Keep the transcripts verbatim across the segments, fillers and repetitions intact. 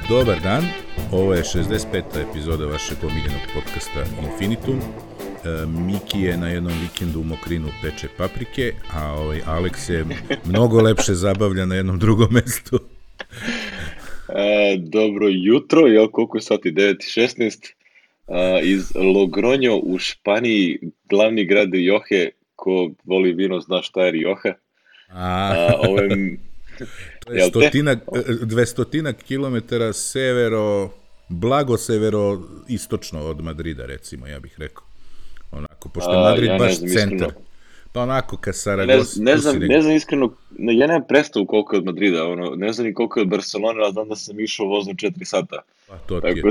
Dobar dan, ovo je šezdeset peta epizoda vašeg omiljenog podcasta Infinitum. E, Miki je na jednom vikendu u Mokrinu peče paprike, a ovaj Alex se mnogo lepše zabavlja na jednom drugom mestu. E, dobro jutro, jel koliko je sati? devet i šesnaest. E, iz Logroño u Španiji, glavni grad Rioje, ko voli vino zna šta je Rioja. A, A, ovim, to je stotina, dvestotina kilometara severo, blago severo istočno od Madrida, recimo, ja bih rekao. Onako, pošto je Madrid ja baš znam, centar. iskreno. Pa onako, ka Ne, Saragos. ne, znam, ne znam iskreno, ne, ja nemam predstavu koliko je od Madrida, ono, ne znam ni koliko je od Barcelona, ali znam da sam išao vozom četiri sata. Pa to ti je. Tako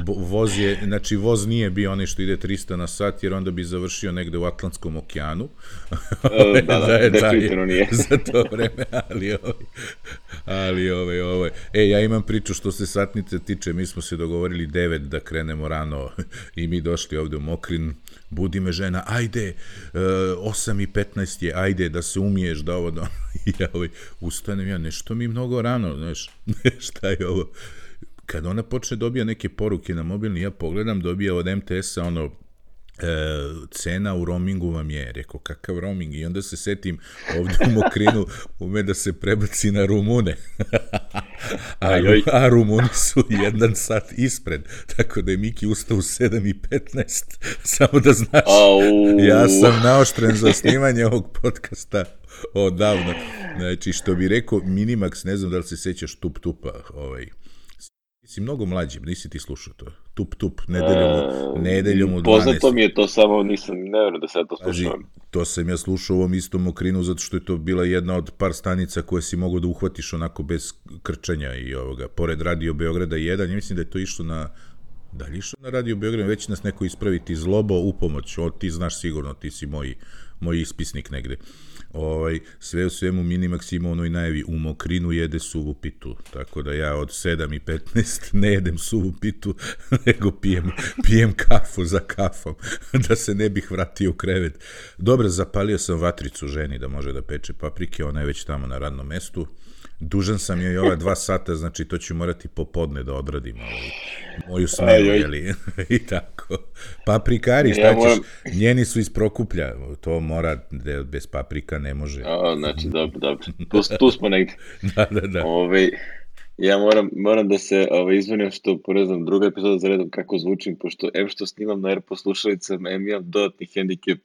Bo- Voz je, znači voz nije bio onaj što ide trista na sat, jer onda bi završio negde u Atlantskom okeanu. da, da, da, je- definitivno nije. Za to vreme, ali ovaj, ali ovaj, ovaj. E, ja imam priču što se satnice tiče, mi smo se dogovorili devet da krenemo rano i mi došli ovde u Mokrin, budi me žena, ajde, uh, osam i petnaest je, ajde da se umiješ, da ovo, da ono. I ja ovaj, ustanem, ja, nešto mi mnogo rano, znaš, šta je ovo? Kad ona počne dobija neke poruke na mobilni, ja pogledam, dobija od em te esa ono, e, cena u roamingu vam je, rekao, kakav roaming? I onda se setim ovdje u Mokrinu ume da se prebaci na Rumune. a, Ajoj. a Rumuni su jedan sat ispred, tako da je Miki ustao u sedam i petnaest, samo da znaš, Au. ja sam naoštren za snimanje ovog podcasta odavno. Znači, što bi rekao Minimax, ne znam da li se sećaš Tup Tupa, ovaj, si mnogo mlađi, nisi ti slušao to. Tup tup, nedeljom u, nedeljom u dvanaest. Poznato mi je to, samo nisam, ne vjerujem da se ja to Pazi, slušao. to sam ja slušao u ovom istom Mokrinu, zato što je to bila jedna od par stanica koje si mogao da uhvatiš onako bez krčanja i ovoga, pored Radio Beograda jedan, ja mislim da je to išlo na, da li išlo na Radio Beograd, već nas neko ispraviti, Zlobo u pomoć, o, ti znaš sigurno, ti si moj, moj ispisnik negde. Ovaj, sve u svemu Minimax ima onoj najavi, u Mokrinu jede suvu pitu, tako da ja od sedam i petnaest ne jedem suvu pitu, nego pijem, pijem kafu za kafom, da se ne bih vratio u krevet. Dobro, zapalio sam vatricu ženi da može da peče paprike, ona je već tamo na radnom mestu. Dužan sam joj ova dva sata, znači to ću morati popodne da odradim ovaj, moju smenu, jeli, i tako. Paprikari, šta Ja ćeš, moram- njeni su iz Prokuplja, to mora, da bez paprika ne može. A, znači, dobro, dobro. Tu, tu smo negdje. Da, da, da. Ove, ja moram, moram da se ove, izvinim što, po ne znam, druga epizoda za redom kako zvučim, pošto em što snimam na AirPod slušalicama, em imam dodatni hendikep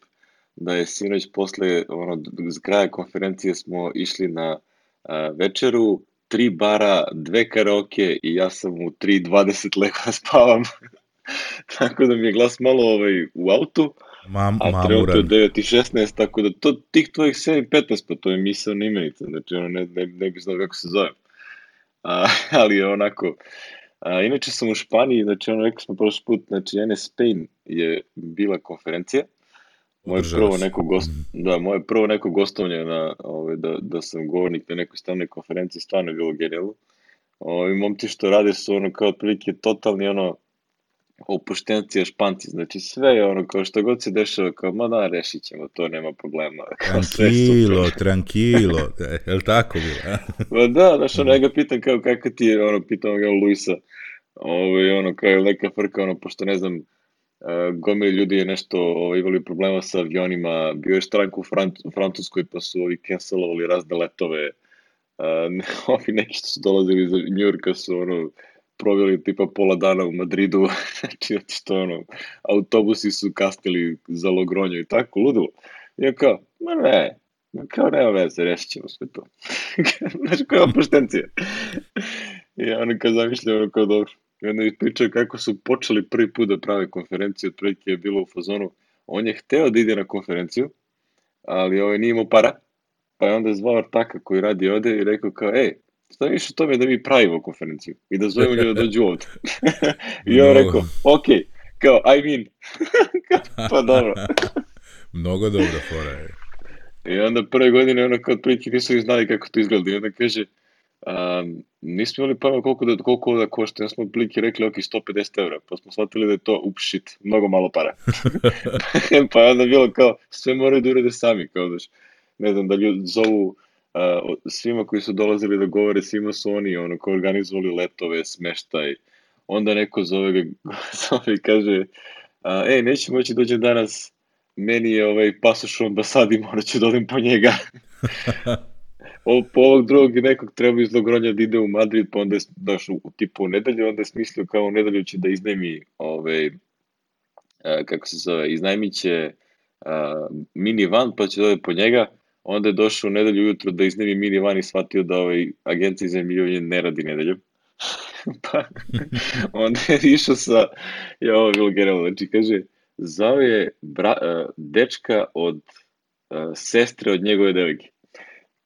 da je sinoć posle, ono, z kraja konferencije smo išli na a, večeru, tri bara, dve karaoke i ja sam u tri dvadeset legao da spavam. Tako da mi je glas malo ovaj, u autu, Mam, a trenutno je mamuran. devet i šesnaest, tako da to, tih tvojih sedam i petnaest, pa to je misaona imenica, znači ono, ne, ne, ne bi znao kako se zove. A, ali je onako, a, inače sam u Španiji, znači ono, rekao smo prošli put, znači N S Spain je bila konferencija, moje Održala prvo se. neko gost, da, moje prvo neko gostovanje na, ovaj, da, da sam govornik na nekoj stavnoj konferenciji, stvarno je bilo genijalno. Ovi momci što rade su ono kao otprilike totalni ono opuštencija Španci, znači sve je ono kao što god se dešava, kao ma da, rešit ćemo, to nema problema. Kao sve je Tranquilo, super. tranquilo, je li tako bilo? a? Ma da, znaš, ono, ja ga pitam kao kako ti je, ono, pitam ga Luisa, ovaj, ono, kao je neka frka, ono, pošto ne znam, uh, gomili ljudi je nešto, ovaj, imali problema sa avionima, bio je štrajk u, Fran- u Francuskoj, pa su ovi cancelovali razne letove, uh, ovi neki što su dolazili iz Njujorka su, ono, proveli tipa pola dana u Madridu, znači, što, ono, autobusi su kasnili za Logroño i tako, ludilo. I ja kao, ma ne, ma kao nema veze, rešit ćemo sve to. Znaš, koja je opuštencija. I ono kao zamišljam, ono kao dobro. I onda ispričaju kako su počeli prvi put da prave konferenciju, otprilike je bilo u fazonu, on je hteo da ide na konferenciju, ali ovaj nije imao para, pa je onda zvao Artaka koji radi ovde i rekao kao, ej, šta više o tome da mi pravimo konferenciju i da zovemo ljudi da dođu ovde. I on Mnogo. rekao, ok, kao, I mean, pa dobro. Mnogo dobra fora je. I onda prve godine ono kao otprilike nisu ni znali kako to izgleda i onda kaže, um, nismo imali pojma koliko da, koliko ovo da košta, ja smo otprilike rekli ok, sto pedeset evra, pa smo shvatili da je to up shit, mnogo malo para. Pa je onda bilo kao, sve moraju da urade sami, kao daš, ne znam, da ljudi zovu uh, svima koji su dolazili da govore, svima su oni ono, koji organizovali letove, smeštaj. Onda neko zove ga, zove i kaže, a, ej, neće moći dođe danas, meni je ovaj pasoš u ambasadi, morat ću da odem po njega. O, po ovog drugog nekog treba iz Logronja da ide u Madrid, pa onda je daš, u tipu u nedelju, onda je smislio kao u nedelju će da iznajmi, ovaj, a, kako se zove, iznajmit će a, mini van, pa će da ode po njega. Onda je došao u nedelju ujutro da iznajmi mini van i shvatio da ovaj agencija za iznajmljivanje ne radi nedeljom. Pa onda je išao sa, je ovo bilo generalno, znači kaže, zvao je bra, uh, dečka od uh, sestre od njegove devojke,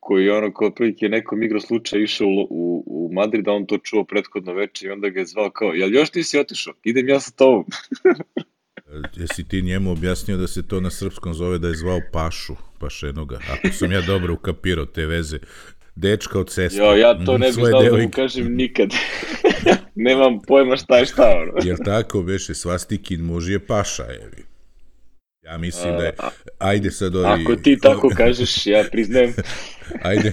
koji je ono kao prilike nekom igro slučaja išao u, u, u Madrid, a on to čuo prethodno veče i onda ga je zvao kao, jel još nisi otišao? Idem ja sa tobom. Jesi ti njemu objasnio da se to na srpskom zove da je zvao Pašu, Pašenoga, ako sam ja dobro ukapirao te veze. Dečka od sestre. Jo, ja to ne bih znao da mu kažem nikad. Nemam pojma šta je šta, ono. Jer tako, beše, svastikin muž je Paša, evi. Ja mislim da je, ajde sad ovi... Ako ti tako kažeš, ja priznajem. Ajde,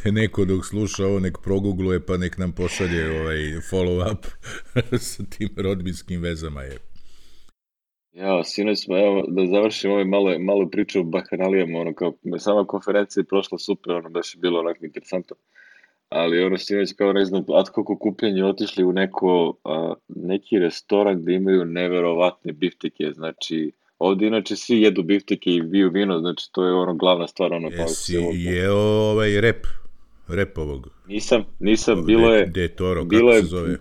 neko dok sluša ovo, nek progugluje, pa nek nam pošalje ovaj follow up sa tim rodbinskim vezama, je. Ja, sinoć smo, evo, da završim ovaj malo, malo priču o bahanalijama, ono, kao, sama konferencija je prošla super, ono, baš je bilo onako interesantno, ali ono, sinoć, kao, ne znam, ad hoc okupljanje, otišli u neko, a, neki restoran gde imaju neverovatne bifteke, znači, ovde inače svi jedu bifteke i biju vino, znači, to je ono, glavna stvar, ono, pa... Jesi jeo ovaj rep, rep ovog? Nisam, nisam, bilo je... De Toro, kako se zove?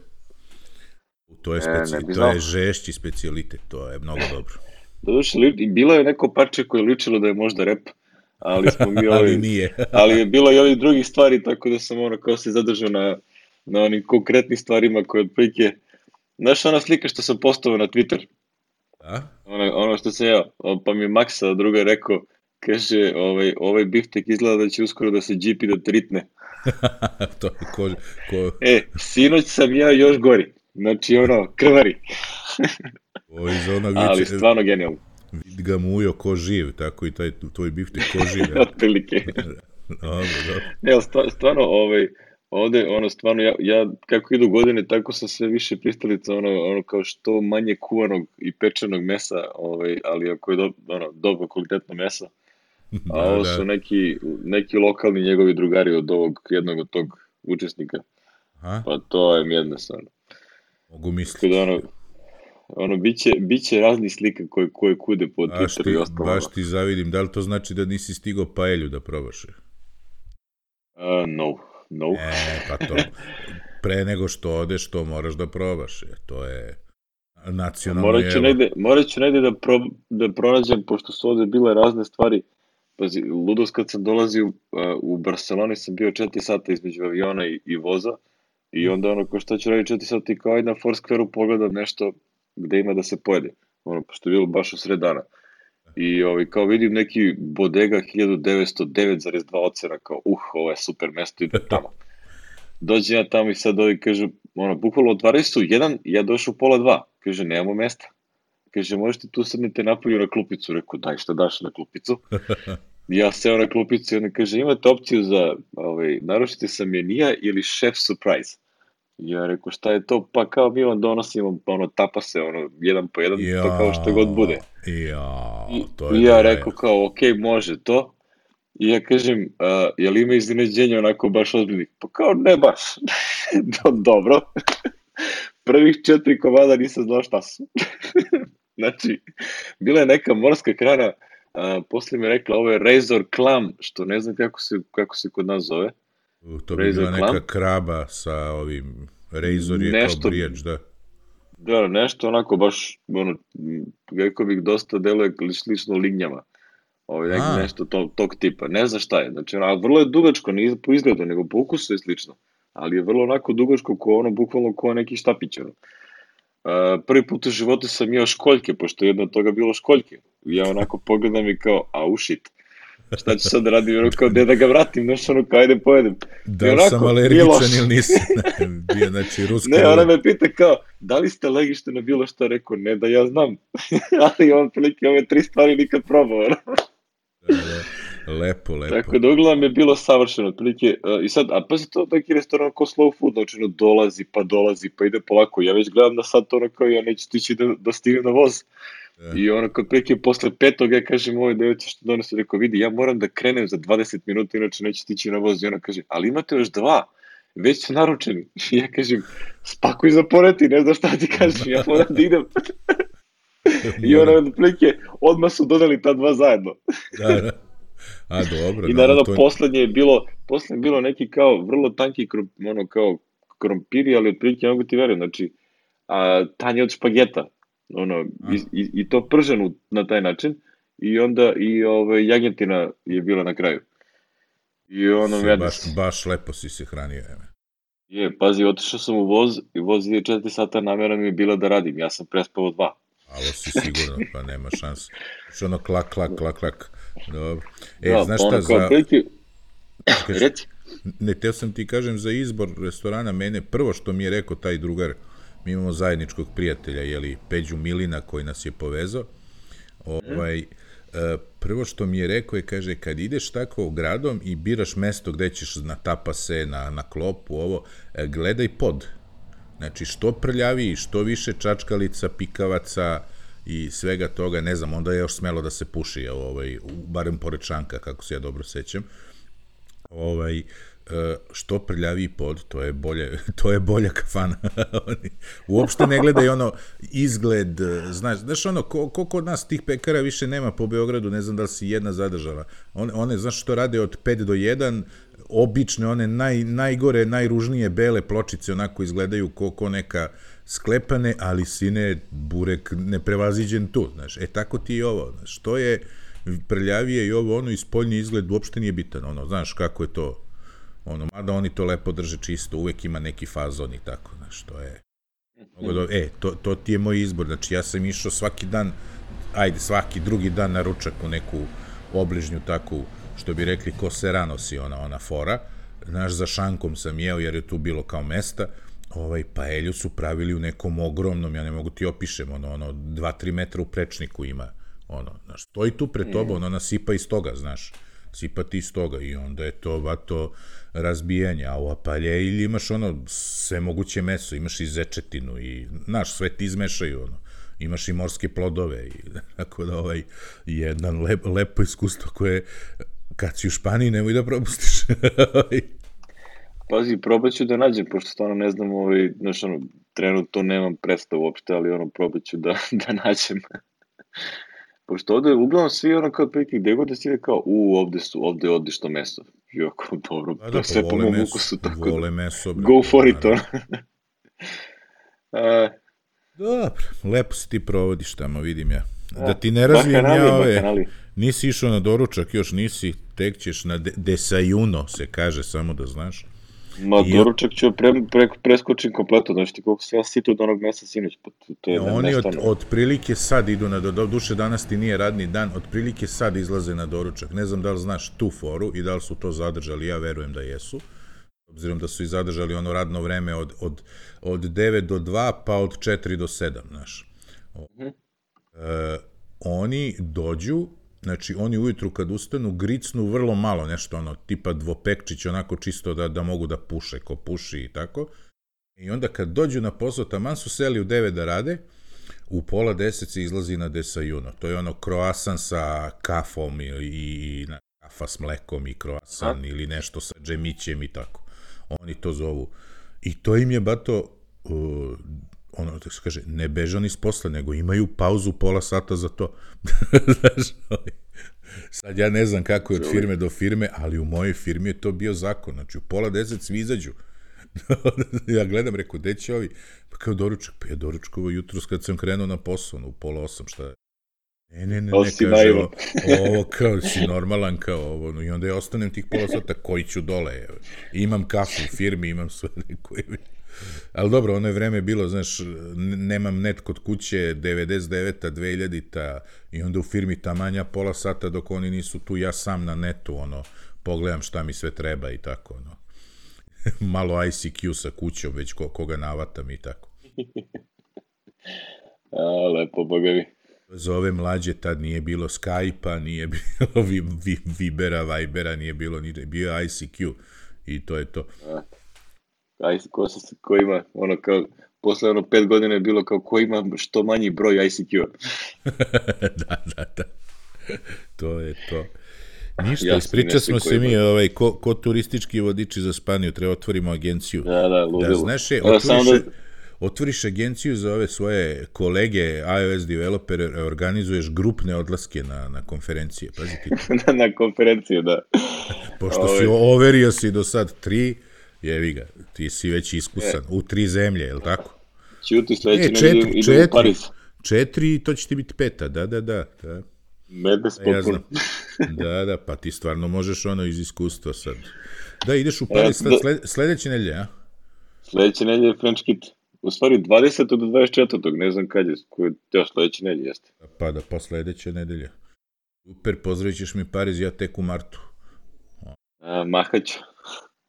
To je, speci... ne, ne to je žešći specijalitet, to je mnogo dobro. Doduše, bilo je neko parče koje je ličilo da je možda rep, ali smo mi ali ovi, nije. ali je bilo i ovih drugih stvari, tako da sam ono kao se zadržao na, na onim konkretnim stvarima koje otprilike... Znaš ona slika što sam postavio na Twitter? A? Ono, ono što sam ja, pa mi Maksa druga rekao, kaže, ovaj, ovaj biftek izgleda da će uskoro da se G P da tritne. to je ko, ko... E, sinoć sam ja još gori. Znači, ono, krvari. O, iz onog ali viče, stvarno genijalno. Vid ga mujo ko živ, tako i taj tvoj biftek ko živ. Otprilike. Dobro, dobro. Ne, stvarno, ovaj, ovde, ono, stvarno, ja, ja, kako idu godine, tako sam sve više pristalica, ono, ono, kao što manje kuvanog i pečenog mesa, ovaj, ali ako je do, ono, dobro kvalitetno mesa. A da, ovo da. su neki, neki lokalni njegovi drugari od ovog, jednog od tog učesnika. Aha. Pa to je mjedno stvarno. Mogu misliti. Da ono, ono, biće, biće razni slika koje, koje kude po baš Twitteru ti, i ostalo. baš ti zavidim. Da li to znači da nisi stigao paelju da probaš? Uh, no, no. E, pa to. Pre nego što odeš, to moraš da probaš. To je nacionalno morat ću jevo. negde, morat ću negde da, pro, da pronađem, pošto su ovde bile razne stvari. Pazi, ludost kad sam dolazio uh, u Barceloni, sam bio četiri sata između aviona i, i voza. I onda ono, ko šta ću raditi četiri sata i kao ajde na Foursquare-u pogledam nešto gde ima da se pojede. Ono, pošto je bilo baš u sred dana. I ovaj, kao vidim neki bodega hiljadu devetsto devet zarez dva ocena, kao uh, ovo je super mesto, idem tamo. Dođem ja tamo i sad ovi kažu, ono, bukvalno otvaraju su jedan, ja došao u pola dva. Kaže, nemamo mesta. Kaže, možete tu sednete napolju na klupicu. Rekao, daj šta daš na klupicu. Ja seo na klupicu i onda kaže, imate opciju za, ovaj, naručite sa menija ili chef surprise. I ja rekao, šta je to? Pa kao mi vam donosimo, ono, tapa se, ono, jedan po jedan, ja, to kao što god bude. Ja, I, to je i ja da rekao kao, ok, može to. I ja kažem, uh, je li ima iznenađenja onako baš ozbiljnih? Pa kao, ne baš. Dobro. Prvih četiri komada nisam znao šta su. Znači, bila je neka morska krana, uh, poslije mi je rekla, ovo je Razor Clam, što ne znam kako se, kako se kod nas zove. To bi bila neka kraba sa ovim, Razor je nešto, kao brijač, da. Da, nešto onako baš, ono, rekao bih, dosta deluje slično lignjama. Ovo je nešto to, tog tipa. Ne znam šta je. Znači, a vrlo je dugačko, nije po izgledu, nego po ukusu je slično. Ali je vrlo onako dugačko, ko ono, bukvalno ko neki štapić. Ono. Uh, prvi put u životu sam jeo školjke, pošto jedno od toga bilo školjke. Ja onako pogledam i kao, au shit. Šta ću sad da radim, ono kao, gde da ga vratim, znaš, ono kao, ajde pojedem. Da li onako, sam alergičan ili nisam, bio, znači, ruska... Ne, ona me pita kao, da li ste alergični na bilo što, rekao, ne da ja znam, ali on prilike ove tri stvari nikad probao. Da, da. Lepo, lepo. Tako da uglavnom je bilo savršeno, otprilike, uh, i sad, a pa se to neki restoran ko slow food, znači ono dolazi, pa dolazi, pa ide polako, ja već gledam na sat ono kao ja neću stići da, da stignem na voz. Da. I ono kao otprilike posle petog ja kažem ovoj devojci što donosi, rekao vidi, ja moram da krenem za dvadeset minuta, inače neću stići na voz. I ona kaže, ali imate još dva, već su naručeni. I ja kažem, spakuj za poreti, ne znam šta ti kažem, ja moram da idem. I ona otprilike, odmah su dodali ta dva zajedno. Da, da. A, dobro. I naravno, to... poslednje je bilo, poslednje je bilo neki kao vrlo tanki krop, ono kao krompiri, ali otprilike ne mogu ti verujem, znači a, tanje od špageta, ono, i, i, i to prženo na taj način, i onda i ove, jagnjetina je bila na kraju. I ono, si, baš, baš lepo si se hranio, jeme. Je, pazi, otišao sam u voz i voz ide četiri sata, namjera mi je bila da radim, ja sam prespao dva. Alo si sigurno, pa nema šanse. Što ono klak, klak, klak, klak. Dobro. E, da, znaš šta, ono za... Priti... Reci. Ne, teo sam ti kažem za izbor restorana, mene, prvo što mi je rekao taj drugar, mi imamo zajedničkog prijatelja, jeli, Peđu Milina, koji nas je povezao, ovaj, prvo što mi je rekao je, kaže, kad ideš tako gradom i biraš mesto gde ćeš na tapase, na, na klopu, ovo, gledaj pod. Znači, što prljaviji, što više čačkalica, pikavaca i svega toga, ne znam, onda je još smelo da se puši, ovaj, barem pored šanka, kako se ja dobro sećam. Ovaj, što prljaviji pod, to je bolje, to je bolja kafana. Uopšte ne gledaj ono izgled, znaš, znaš ono, ko, ko kod nas tih pekara više nema po Beogradu, ne znam da li si jedna zadržala. One, one znaš što rade od pet do jedan, obične, one naj, najgore, najružnije bele pločice, onako izgledaju ko, ko neka sklepane, ali sine, burek neprevaziđen tu, znaš. E, tako ti i ovo, znaš, to je prljavije i ovo, ono, i spoljni izgled uopšte nije bitan, ono, znaš, kako je to, ono, mada oni to lepo drže čisto, uvek ima neki fazon i tako, znaš, to je, e, to, to ti je moj izbor, znači, ja sam išao svaki dan, ajde, svaki drugi dan na ručak u neku obližnju takvu, što bi rekli, ko se rano si ona, ona fora, znaš, za šankom sam jeo, jer je tu bilo kao mesta, ovaj, paelju su pravili u nekom ogromnom, ja ne mogu ti opišem, ono, ono, dva tri metra u prečniku ima, ono, znaš, stoji tu pred tobom, ono, ona sipa iz toga, znaš, sipa ti iz toga i onda je to, vato, razbijanje, a u apaljelji imaš, ono, sve moguće meso, imaš i zečetinu i, znaš, sve ti izmešaju, ono, imaš i morske plodove i, tako da, ovaj, jedan lep, lepo iskustvo koje, kad si u Španiji, nemoj da propustiš. Pazi, probat ću da nađem, pošto stvarno ne znam, ovaj, znaš, ono, trenutno nemam predstavu uopšte, ali ono, probat ću da, da nađem. Pošto ovde, uglavnom, svi ono kao otprilike, gde god da si kao, u, ovde su, ovde je odlično meso. Jako, dobro, da, to je sve po mom meso, ukusu, tako vole meso, da, go for it, ono. uh, Dobro, lepo se ti provodiš tamo, vidim ja. Da ti ne razvijem ja ove, bakanali. Nisi išao na doručak, još nisi, tek ćeš na de, desajuno, se kaže, samo da znaš. Ma, I doručak ću pre, pre, preskočim kompletno, znaš ti koliko se ja sito od onog mesa sinoć, pa to je oni od, od prilike sad idu na do duše, danas ti nije radni dan, od prilike sad izlaze na doručak. Ne znam da li znaš tu foru i da li su to zadržali, ja verujem da jesu. Obzirom da su i zadržali ono radno vreme od, od, od devet do dva, pa od četiri do sedam, znaš. Mm-hmm. E, oni dođu, znači oni ujutru kad ustanu, gricnu vrlo malo nešto, ono, tipa dvopekčić, onako čisto da, da mogu da puše, ko puši i tako. I onda kad dođu na posao, taman su seli u devet da rade, u pola deset se izlazi na desajuno. To je ono kroasan sa kafom i, i kafa s mlekom i kroasan ili nešto sa džemićem i tako. Oni to zovu. I to im je, bato, uh, ono, tako se kaže, ne beže oni s posla, nego imaju pauzu pola sata za to. Znaš, sad ja ne znam kako je od firme do firme, ali u mojoj firmi je to bio zakon. Znači, u pola deset svi izađu. Ja gledam, rekao, gde će ovi? Pa kao doručak, pa ja doručkovo jutro kad sam krenuo na posao, u pola osam, šta je? Ne, ne, ne, ne, kaže, ovo, ovo kao si normalan, kao ovo, no, i onda ja ostanem tih pola sata, koji ću dole, evo. Imam kafu u firmi, imam sve koje... Ali dobro, ono je vreme bilo, znaš, nemam net kod kuće, devedeset deveta, dvehiljadita, i onda u firmi tamanja pola sata dok oni nisu tu, ja sam na netu, ono, pogledam šta mi sve treba i tako, ono. Malo I C Q sa kućom, već ko, koga navatam i tako. A, lepo, bogavi. Za ove mlađe tad nije bilo Skype-a, nije bilo vi, vi, Vibera, Vibera, nije bilo ni bio I C Q i to je to. A, ko, se, ko ima, ono kao, posle ono pet godina je bilo kao ko ima što manji broj I C Q-a. da, da, da. To je to. Ništa, ispriča smo se mi, ovaj, ko, ko turistički vodiči za Španiju, treba otvorimo agenciju. Da, da, ludilo. Da, znaš je, otvoriš, da... otvoriš agenciju za ove svoje kolege, iOS developere, organizuješ grupne odlaske na, na konferencije, pazi ti. na, na konferenciju, da. Pošto Ove... si overio si do sad tri, jevi ga, ti si već iskusan, e. u tri zemlje, je li tako? Ćuti sledeći, e, četiri, ne idem u Pariz. Četiri i to će ti biti peta, da, da, da. da. Mednes potpuno. Da, da, pa ti stvarno možeš ono iz iskustva sad. Da, ideš u Pariz e, sled, sledeće nedelje, a? Sledeće nedelje je French Kit. U stvari dvadesetog do dvadeset četvrtog ne znam kad je, koji je sledeće nedelje jeste. Pa da, pa sledeće nedelje. Super, pozdravit ćeš mi Pariz, ja tek u martu. A, mahać.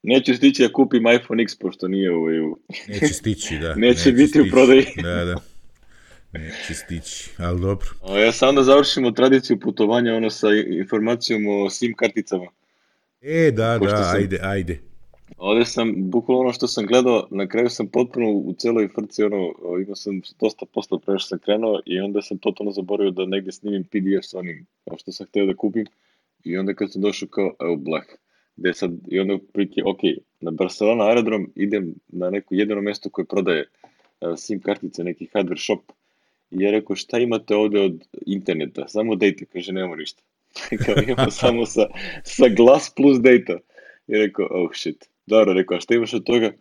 Neću stići da kupim iPhone X, pošto nije u... Neće stići, da. Neće, neće biti stići. U prodaji. Da, da. Neće stići, ali dobro. O, ja sam da završimo tradiciju putovanja, ono sa informacijom o SIM karticama. E, da, pošto da, sam, ajde, ajde. Ovde sam, bukvalno ono što sam gledao, na kraju sam potpuno u celoj frci, ono, imao sam dosta posla pre što sam krenuo i onda sam totalno zaboravio da negde snimim P D F sa onim, kao što sam hteo da kupim. I onda kad sam došao kao, evo, blah. Gde sad, i onda prike, ok, na Barcelona aerodrom idem na neko jedino mesto koje prodaje uh, SIM kartice, neki hardware shop. I ja rekao, šta imate ovde od interneta? Samo data, kaže, nemamo ništa. Kao imamo samo sa, sa glas plus data. I rekao, oh shit. Dobro, rekao, a šta imaš od toga?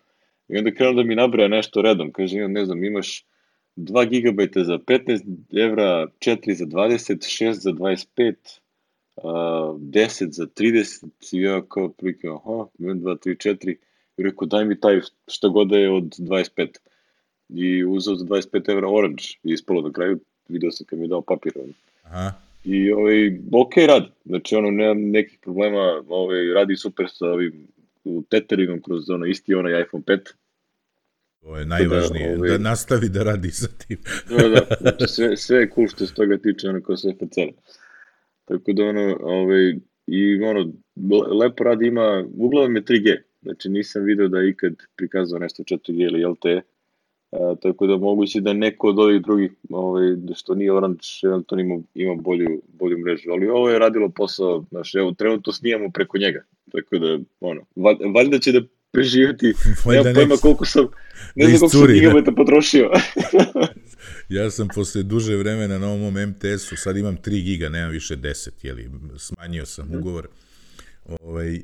I onda krenuo da mi nabraja nešto redom. Kaže, imam, ne znam, imaš dva gigabajta za petnaest evra, četiri za dvadeset, šest za dvadeset pet, Uh, deset za trideset i ja kao prike, aha, jedan, dva, tri, četiri i rekao daj mi taj šta god je od dvadeset pet i uzeo za dvadeset pet evra Orange i ispalo na kraju, video sam kad mi je dao papir. Aha. I ovaj, ok radi, znači ono nemam nekih problema, ovaj, radi super sa ovim teteringom kroz ono isti onaj iPhone pet. To je najvažnije, da, ovaj, da nastavi da radi sa tim. da, da, znači sve, sve je cool što se toga tiče ono kao sve fecera. Tako da ono, ovaj, i ono, lepo radi ima, uglavnom je tri G, znači nisam video da je ikad prikazao nešto četiri G ili L T E, a, tako da moguće da neko od ovih drugih, ovaj, što nije Orange, eventualno ima, ima bolju, bolju mrežu, ali ovo je radilo posao, znaš, evo, trenutno snijamo preko njega, tako da, ono, valjda će da preživjeti, nemam pojma koliko sam, ne znam koliko sam gigabajta potrošio. Ja sam posle duže vremena na ovom M T S-u, sad imam tri giga, nemam više deset, jeli, smanjio sam ugovor. Ovaj, e,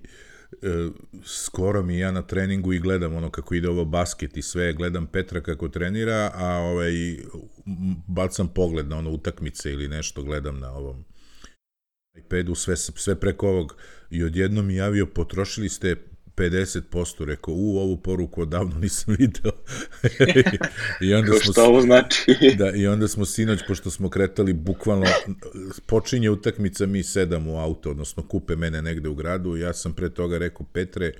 skoro mi ja na treningu i gledam ono kako ide ovo basket i sve, gledam Petra kako trenira, a ovaj, bacam pogled na ono utakmice ili nešto, gledam na ovom iPadu, sve, sve preko ovog i odjedno mi javio, potrošili ste pedeset posto, rekao, u, ovu poruku odavno nisam video. I onda smo, šta ovo znači? Da, i onda smo sinoć, pošto smo kretali, bukvalno, počinje utakmica, mi sedam u auto, odnosno kupe mene negde u gradu, ja sam pre toga rekao, Petre,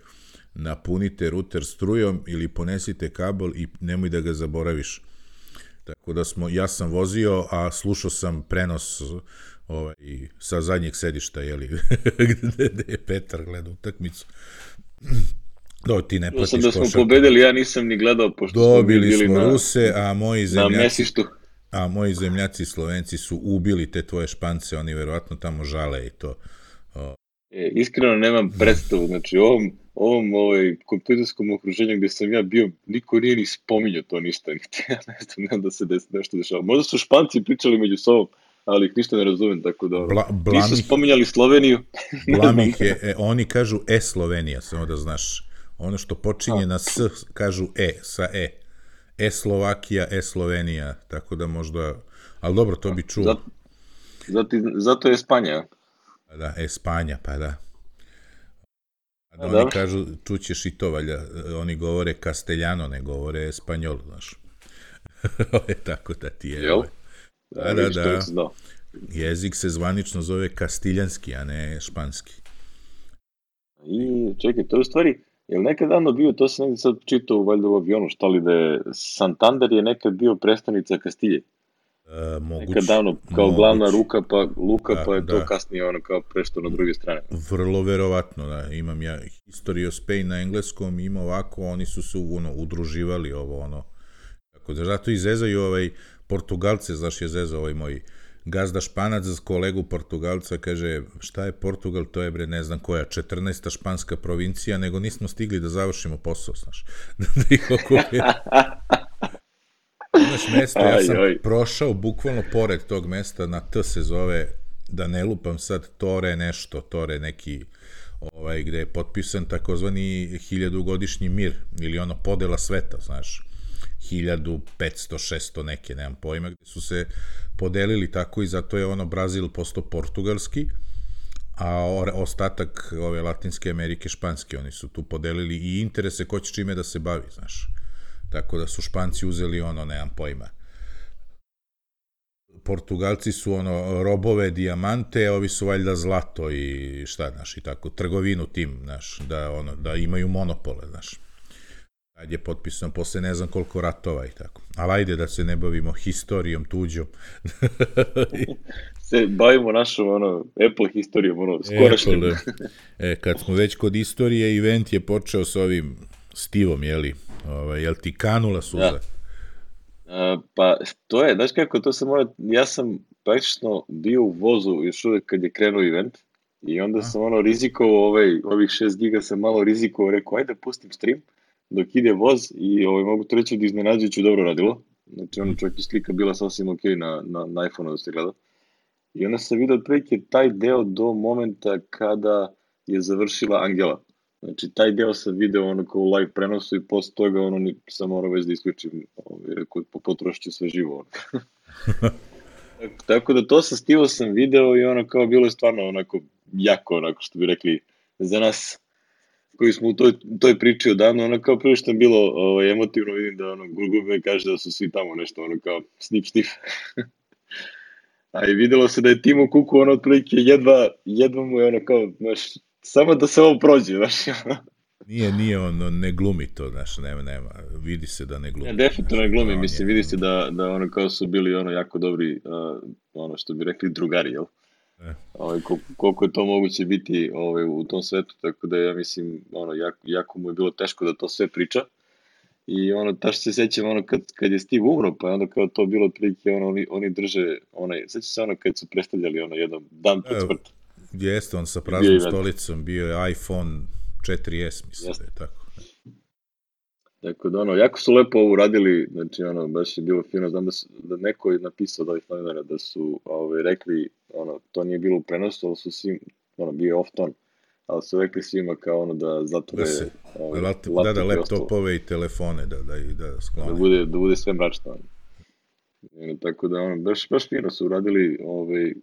napunite ruter strujom ili ponesite kabel i nemoj da ga zaboraviš. Tako da smo, ja sam vozio, a slušao sam prenos ovaj, sa zadnjeg sedišta, jeli, gde je Petar gleda utakmicu. Do, ti ne platiš košarku. Da smo pobedili, ja nisam ni gledao, pošto dobili smo bili smo na, Ruse, a moji zemljaci, na a moji zemljaci Slovenci su ubili te tvoje Špance, oni verovatno tamo žale i to. O. E, iskreno nemam predstavu, znači ovom, ovom ovaj, kompjuterskom okruženju gde sam ja bio, niko nije ni spominjao to ništa, ja ne znam da se des, nešto dešava. Možda su Španci pričali među sobom, ali ih ništa ne razumem, tako da Bla, nisu spominjali Sloveniju. Blam ih je, e, oni kažu E Slovenija, samo da znaš. Ono što počinje A. na S, kažu E, sa E. E Slovakija, E Slovenija, tako da možda, ali dobro, to bi čuo. Zato, zato, zato je Espanja. Da, Espanja, pa da. A da A, oni da. kažu, čućeš i to, valja, oni govore Castellano, ne govore Espanjol, znaš. Tako da ti je. Jel? Da, da, da. Jezik se zvanično zove kastiljanski, a ne španski. I čekaj, to je u stvari, je li nekad davno bio, to sam nekad sad čitao valjda u avionu, šta li da je, Santander je nekad bio predstavnica Kastilje. E, moguć, Nekad davno, kao moguć. glavna ruka, pa Luka, Da, pa je da. to kasnije ono kao prešto na druge strane. Vrlo verovatno, da. Imam ja History of Spain na engleskom, ima ovako, oni su se ono, udruživali ovo, ono. Tako da, zato i zezaju ovaj Portugalce, znaš je zezao ovaj moj gazda Španac za kolegu Portugalca, kaže, šta je Portugal, to je bre, ne znam koja, četrnaesta španska provincija, nego nismo stigli da završimo posao, znaš. Da ih okupira. Znaš, mesto, ja sam aj, aj. prošao bukvalno pored tog mesta, na T se zove, da ne lupam sad, Tore nešto, Tore neki, ovaj, gde je potpisan takozvani hiljadugodišnji mir, ili ono podela sveta, znaš, hiljadu petsto šesto neke, nemam pojma, gde su se podelili tako i zato je ono Brazil postao portugalski, a ostatak ove Latinske Amerike španski, oni su tu podelili i interese ko će čime da se bavi, znaš. Tako da su Španci uzeli ono, nemam pojma. Portugalci su ono robove, dijamante, a ovi su valjda zlato i šta, znaš, i tako, trgovinu tim, znaš, da, ono, da imaju monopole, znaš. Kad je potpisano posle ne znam koliko ratova i tako. Ali ajde da se ne bavimo historijom tuđom. Se bavimo našom, ono, Apple historijom, ono, skorašnjom. Da. E, kad smo već kod istorije, event je počeo s ovim Stivom, jeli? Ovaj, jel ti kanula suza? Da. A, pa, to je, znaš kako, to sam mora, ja sam praktično bio u vozu još uvek kad je krenuo event i onda A? sam ono rizikovao, ovaj, ovih šest giga sam malo rizikovao, rekao, ajde pustim stream dok ide voz i ovaj, mogu to reći da iznenađujuće dobro radilo. Znači, ono čak i slika bila sasvim ok na, na, na iPhone-u da se gleda. I onda sam vidio otprilike taj deo do momenta kada je završila Angela. Znači, taj deo sam video ono kao u live prenosu i posle toga ono sam morao već da isključim, ovaj, potrošit ću sve živo. Ono. Tako da to sa Stivo sam video i ono kao bilo je stvarno onako jako, onako što bi rekli, za nas koji smo u toj, toj priči odavno, ono kao prvo što je bilo ovaj, emotivno, vidim da ono Gurgube kaže da su svi tamo nešto, ono kao snip snif. A i videlo se da je Timo Kuku ono otprilike jedva, jedva mu je ono kao, znaš, samo da se ovo prođe, znaš. Nije, nije on, on ne glumi to, znaš, nema, nema, vidi se da ne glumi. Ne, definitivno ne glumi, mislim, vidi se da, da ono kao su bili ono jako dobri, uh, ono što bi rekli drugari, jel? E. Ovaj, koliko, koliko je to moguće biti ovaj, u tom svetu, tako da ja mislim, ono, jako, jako mu je bilo teško da to sve priča. I ono, taš se sećam, ono, kad, kad je Steve umro, pa onda kao to bilo otprilike, ono, oni, oni drže, onaj, sećam se ono kad su predstavljali, ono, jedan dan pred smrt. Jeste, on sa praznom stolicom, bio je iPhone četiri es, mislim da je tako. Tako da, ono, jako su lepo ovo uradili, znači, ono, baš je bilo fino, znam da, su, da neko je napisao da ovih novinara da su, ove, rekli, ono, to nije bilo u prenosu, ali su svi, ono, bio je off ton, ali su rekli svima kao ono da zatvore da se, ove, laptop, da, da laptopove i telefone, da, da, i da sklone. Da bude, da bude sve mračno. Ono. Tako da, ono, baš, baš fino su uradili, ove,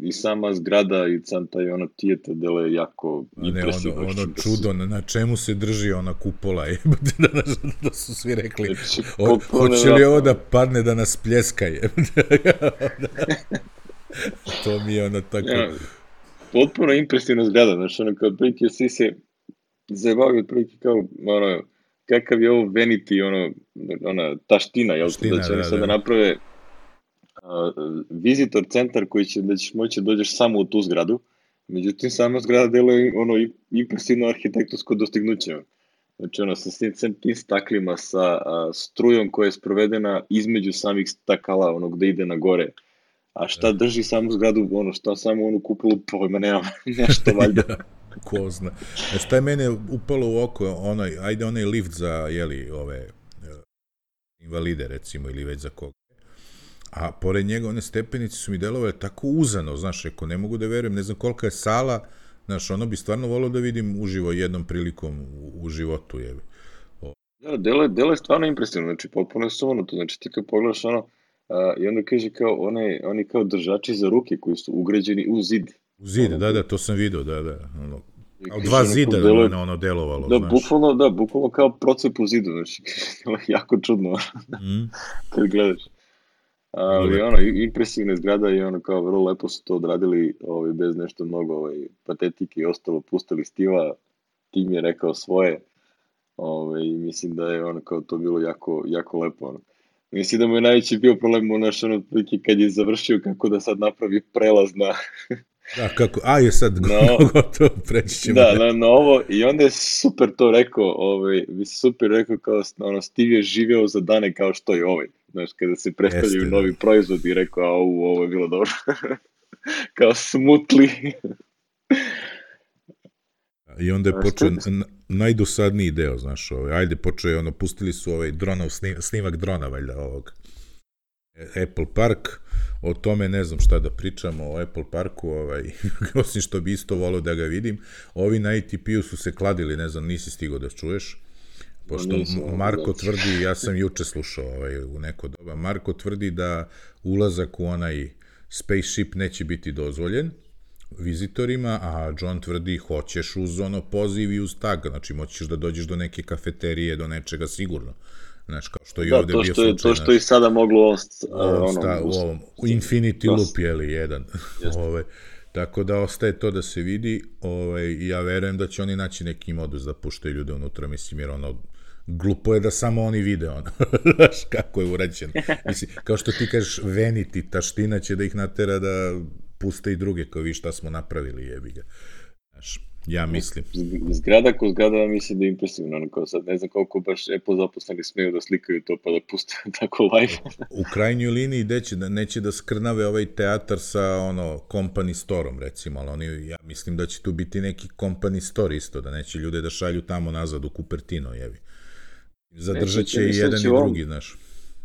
i sama zgrada i sam taj ono tijeta dele je jako impresivno. Ono, ono čudo, na, na čemu se drži ona kupola, je, da, da, da su svi rekli, znači, o, hoće li ovo da padne da nas pljeska, je. To mi je ono tako... Ja, potpuno impresivno zgrada, znači ono kao otprilike svi se zajebavaju otprilike kao, ono, kakav je ovo vanity, ono, ona taština, jel to, da će oni sada da naprave Uh, visitor centar koji će da ćeš moći da dođeš samo u tu zgradu, međutim sama zgrada deluje ono impresivno arhitektonsko dostignuće. Znači ono sa svim tim staklima, sa uh, strujom koja je sprovedena između samih stakala, ono gde ide na gore. A šta drži samu zgradu, ono šta samo onu kupolu, pojma nema, nešto valjda. Ko zna. E šta je mene upalo u oko, onaj, ajde onaj lift za, jeli, ove invalide recimo, ili već za koga. A pored njega one stepenice su mi delovale tako uzano, znaš, ako ne mogu da verujem, ne znam kolika je sala, znaš, ono bi stvarno volio da vidim uživo jednom prilikom u, u životu, jebi. Da, delo je, delo je stvarno impresivno, znači, potpuno je sumanuto, znači, ti kad pogledaš ono, a, i onda kaže kao, one, oni kao držači za ruke koji su ugrađeni u zid. U zid, ono, da, da, to sam vidio, da, da, ono, kao dva zida da je ono delovalo, da, znaš. Bukvalno, da, bukvalno kao procep u zidu, znači, jako čudno, mm. kad gledaš. Ali ono, impresivna zgrada i ono kao vrlo lepo su to odradili ovaj, bez nešto mnogo ovaj, patetike i ostalo, pustili Stiva, tim je rekao svoje ovaj, i mislim da je ono kao to bilo jako, jako lepo. Ono. Mislim da mu je najveći bio problem u našoj otprilike kad je završio kako da sad napravi prelaz na... Da, kako, a je sad no, gotovo, preći ćemo. Da, na, na ovo, i onda je super to rekao, ovaj, bi se super rekao kao, ono, Steve je živeo za dane kao što je ovaj, znaš, kada se predstavljaju Jeste, novi da. proizvod i rekao, a u, ovo je bilo dobro, kao smutli. I onda je A počeo što- n- najdosadniji deo, znaš, ovaj, ajde, počeo je, ono, pustili su ovaj dronov, snim, snimak drona, valjda, ovog E- Apple Park, o tome ne znam šta da pričamo, o Apple Parku, ovaj, osim što bi isto volio da ga vidim, ovi na A T P-u su se kladili, ne znam, nisi stigao da čuješ, pošto nisam, M- Marko da. tvrdi, ja sam juče slušao ovaj, u neko doba, Marko tvrdi da ulazak u onaj spaceship neće biti dozvoljen vizitorima, a John tvrdi hoćeš uz ono poziv i uz tag, znači moćeš da dođeš do neke kafeterije, do nečega sigurno. Znaš, kao što i Da, ovde to bio što je, slučaj. to što i sada moglo on, st- u ovom, ono, sta, u ovom u Infinity Loop, je li, jedan. Ove, tako da ostaje to da se vidi, ovaj, i ja verujem da će oni naći neki modus da puštaju ljude unutra, mislim, jer ono, glupo je da samo oni vide ono, znaš kako je urađeno. Mislim, kao što ti kažeš, Vanity, taština će da ih natera da puste i druge, kao vi šta smo napravili, jebi ga. Znaš, ja mislim. Zgrada ko zgrada mislim da je impresivno, ono kao sad ne znam koliko baš Apple zaposleni smeju da slikaju to pa da puste tako live. U krajnjoj liniji neće da, neće da skrnave ovaj teatar sa ono company storom recimo, ali oni, ja mislim da će tu biti neki company store isto, da neće ljude da šalju tamo nazad u Cupertino, jevi. Zadržat će i jedan i drugi, znaš.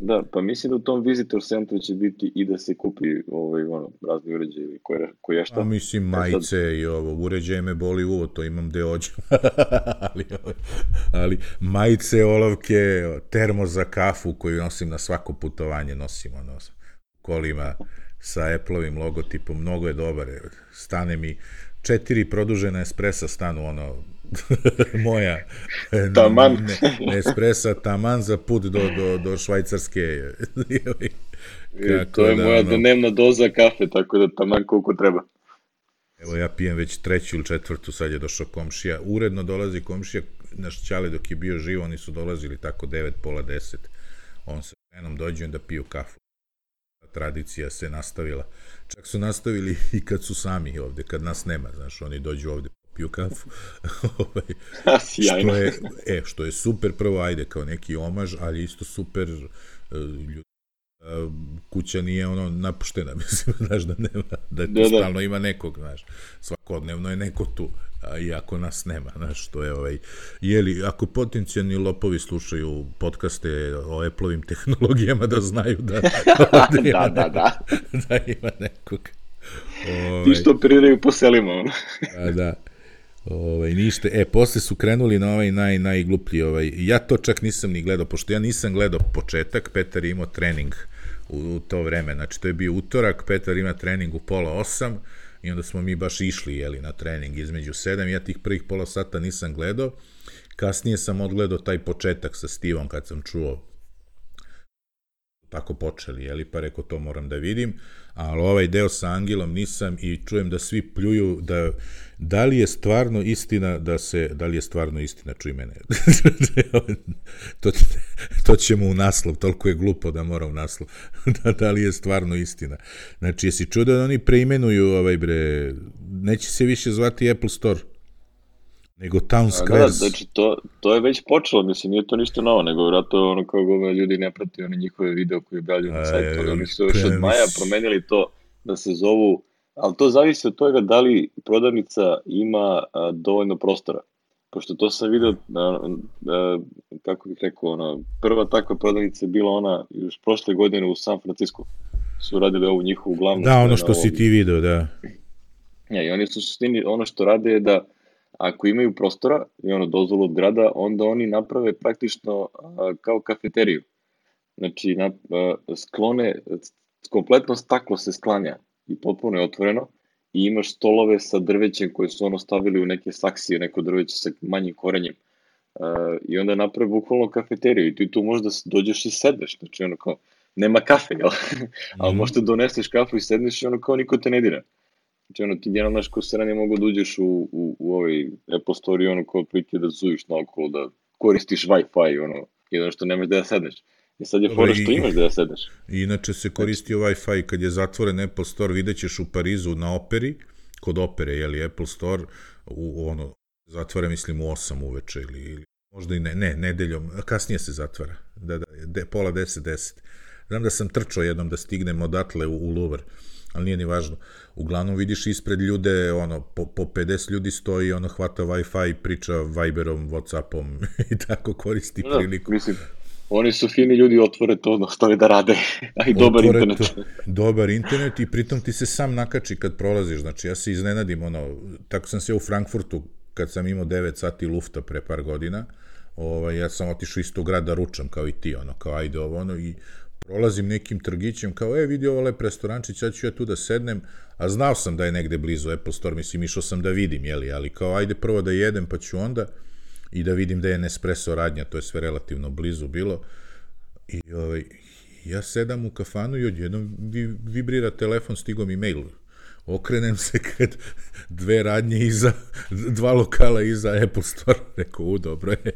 Da, pa mislim da u tom visitor centru će biti i da se kupi ovaj, ono, razni uređaji koje, koje šta. A mislim, majice sad... i ovo, uređaje me boli uvo, to imam gde ođu. ali, ali majice, olovke, termo za kafu koju nosim na svako putovanje, nosim ono, kolima sa Apple-ovim logotipom, mnogo je dobar. Stane mi četiri produžena espresa stanu, ono, moja taman. Ne, ne espresa taman za put do, do, do Švajcarske. Kako to je da, moja ono, dnevna doza kafe, tako da taman koliko treba. Evo ja pijem već treću ili četvrtu, sad je došao komšija. Uredno dolazi komšija, naš Ćale dok je bio živ, oni su dolazili tako devet, pola deset. On sa ženom dođu da piju kafu. Tradicija se nastavila. Čak su nastavili i kad su sami ovde, kad nas nema, znaš, oni dođu ovde piju kafu. što je, e, što je super, prvo, ajde, kao neki omaž, ali isto super, ljudi, kuća nije ono napuštena, mislim, znaš, da nema, da, da stalno da. Ima nekog, znaš, svakodnevno je neko tu, a iako nas nema, znaš, što je, ovaj, jeli, ako potencijalni lopovi slušaju podcaste o Apple-ovim tehnologijama, da znaju da, da, da, da, da. da ima nekog. Ovaj, ti što operiraju po selima, ono. da, da. Ovaj, ništa, e, posle su krenuli na ovaj naj, najgluplji, ovaj, ja to čak nisam ni gledao, pošto ja nisam gledao početak, Petar je imao trening u, u to vreme, znači to je bio utorak, Petar ima trening u pola osam i onda smo mi baš išli, jeli, na trening između sedam, ja tih prvih pola sata nisam gledao, kasnije sam odgledao taj početak sa Stevom kad sam čuo tako počeli, jeli, pa rekao to moram da vidim, ali ovaj deo sa Angelom nisam i čujem da svi pljuju da da li je stvarno istina da se, da li je stvarno istina, čuj mene, to, to ćemo u naslov, toliko je glupo da mora u naslov, da, da li je stvarno istina. Znači, jesi čuo da oni preimenuju, ovaj bre, neće se više zvati Apple Store, nego Town Squares. Da, znači, to, to je već počelo, mislim, nije to ništa novo, nego vratno ono kao gove ljudi ne prati one njihove video koje objavljaju na sajtu, ali oni su još od maja promenili to da se zovu, ali to zavisi od toga da li prodavnica ima a, dovoljno prostora. Pošto to sam vidio, a, a, kako bih rekao, ona, prva takva prodavnica je bila ona još prošle godine u San Francisco. Su radili ovu njihovu glavnu. Da, ono što si ti video, da. Ja, i oni su suštini, ono što rade je da ako imaju prostora i ono dozvolu od grada, onda oni naprave praktično a, kao kafeteriju. Znači, na, a, sklone, kompletno staklo se sklanja i potpuno je otvoreno i imaš stolove sa drvećem koje su ono stavili u neke saksije, neko drveće sa manjim korenjem. A, I onda naprave bukvalno kafeteriju i ti tu možda dođeš i sedneš, znači ono kao, nema kafe, jel? Ali možda doneseš kafu i sedneš i ono kao niko te ne dira. Znači, ono, ti jedan naš ko sranje mogu da uđeš u, u, u ovaj Apple Store i ono kao prilike da zujiš naokolo, da koristiš Wi-Fi, ono, jedan što nemaš da ja sedneš. I sad je Dobro, fora što i- imaš da ja sedneš. I inače se koristio Wi-Fi kad je zatvoren Apple Store, vidjet ćeš u Parizu na Operi, kod Opere, jeli Apple Store, u, ono, zatvara mislim u osam uveče ili, ili možda i ne, ne, nedeljom, kasnije se zatvara, da, da, de, pola deset, deset. Znam da sam trčao jednom da stignem odatle u, u Louvre, ali nije ni važno. Uglavnom vidiš ispred ljude, ono, po, po pedeset ljudi stoji, ono, hvata Wi-Fi, priča Viberom, Whatsappom i tako koristi Da, priliku. mislim, oni su fini ljudi, otvore to, ostave da rade, a i dobar Otvore internet. to, dobar internet i pritom ti se sam nakači kad prolaziš, znači ja se iznenadim, ono, tako sam se u Frankfurtu, kad sam imao devet sati lufta pre par godina, ovaj, ja sam otišao isto u grad da ručam, kao i ti, ono, kao ajde ovo, ono, i prolazim nekim trgićem, kao, e, vidi ovo lep restorančić, sad ću ja tu da sednem, a znao sam da je negde blizu Apple Store, mislim, išao sam da vidim, jeli, ali kao, ajde prvo da jedem, pa ću onda, i da vidim da je Nespresso radnja, to je sve relativno blizu bilo, i ovaj, ja sedam u kafanu i odjednom vi, vibrira telefon, stigao mi mail. Okrenem se kad dve radnje iza, dva lokala iza Apple Store, rekao, u, dobro je.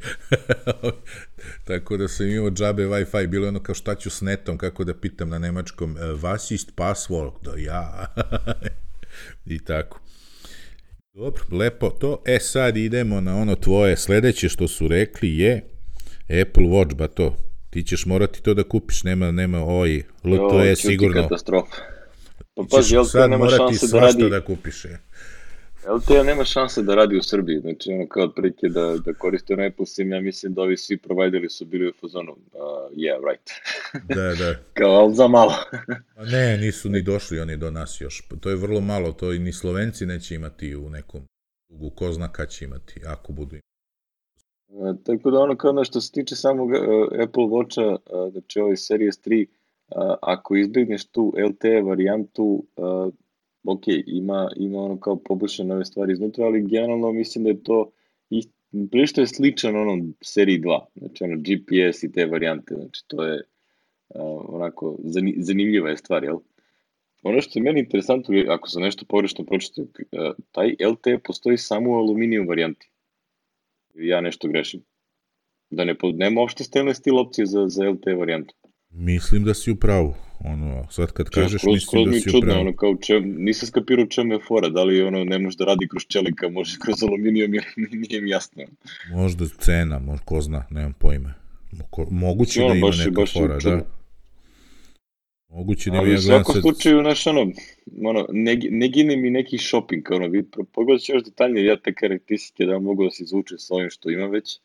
Tako da sam imao džabe Wi-Fi, bilo ono kao šta ću s netom, kako da pitam na nemačkom, was ist password, da ja. I tako. Dobro, lepo to. E sad idemo na ono tvoje sledeće što su rekli je Apple Watch, ba to. Ti ćeš morati to da kupiš, nema, nema oj, L T E sigurno. Katastrofa. Pa Ti pazi, ćeš L T E sad nema morati šanse da svašta radi, da kupiš. je. L T E nema šanse da radi u Srbiji, znači ono kao otprilike da, da koriste ono Apple SIM, ja mislim da ovi svi provajderi su bili u fazonu, uh, yeah, right. Da, da. Kao, ali za malo. A ne, nisu ni došli oni do nas još. To je vrlo malo, to i ni Slovenci neće imati u nekom dugu, ko zna kad će imati, ako budu imati. Uh, tako da ono kao ono što se tiče samog uh, Apple Watcha, uh, znači ovaj Series tri, uh, ako izbjegneš tu L T E varijantu, uh, ok, ima, ima ono kao poboljšane ove stvari iznutra, ali generalno mislim da je to ist, prilično je sličan onom seriji dva, znači ono G P S i te varijante, znači to je uh, onako zani, zanimljiva je stvar, jel? Ono što je meni interesantno, ako sam nešto pogrešno pročitao, uh, taj L T E postoji samo u aluminijum varijanti. Ja nešto grešim. Da ne, nema uopšte stainless steel opcije za, za L T E varijantu. Mislim da si u pravu. Ono, sad kad kažeš, skroz, mislim skroz da mi si u čudno, pravu. ono, kao čem, nisam skapirao čemu je fora, da li ono ne može da radi kroz čelika, može kroz aluminijum, jer nije mi jasno. Možda cena, možda ko zna, nemam pojma. Mo- Moguće Ono, da ima baš, neka baš fora, čudno. da. Moguće da ima, Ali ja u gledam svakom sad... slučaju, znaš, ono, ono ne, ne gine mi neki shopping, ono, vid, pogledat ću još detaljnije, ja te karakteristike da mogu da se izvuče s ovim što ima već,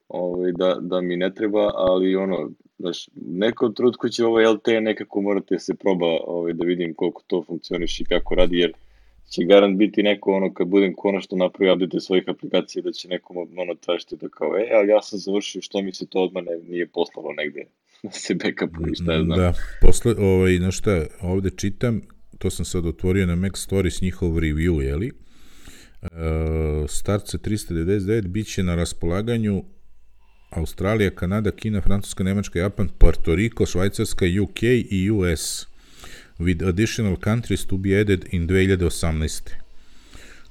ovaj, da, da mi ne treba, ali ono, znaš, nekom trutku će ovaj L T E nekako morate se proba ovaj, da vidim koliko to funkcioniš i kako radi, jer će garant biti neko, ono, kad budem konačno napravio update svojih aplikacija, da će nekom ono tražiti da kao, e, ali ja sam završio, što mi se to odmah ne, nije poslalo negde, da se backupu i šta je znam. Da, posle, ovaj, znaš šta, ovde čitam, to sam sad otvorio na Mac Stories njihov review, jeli? Uh, start sa trista devedeset devet bit će na raspolaganju Australija, Kanada, Kina, Francuska, Nemačka, Japan, Puerto Rico, Švajcarska, U K i U S, with additional countries to be added in dve hiljade osamnaeste.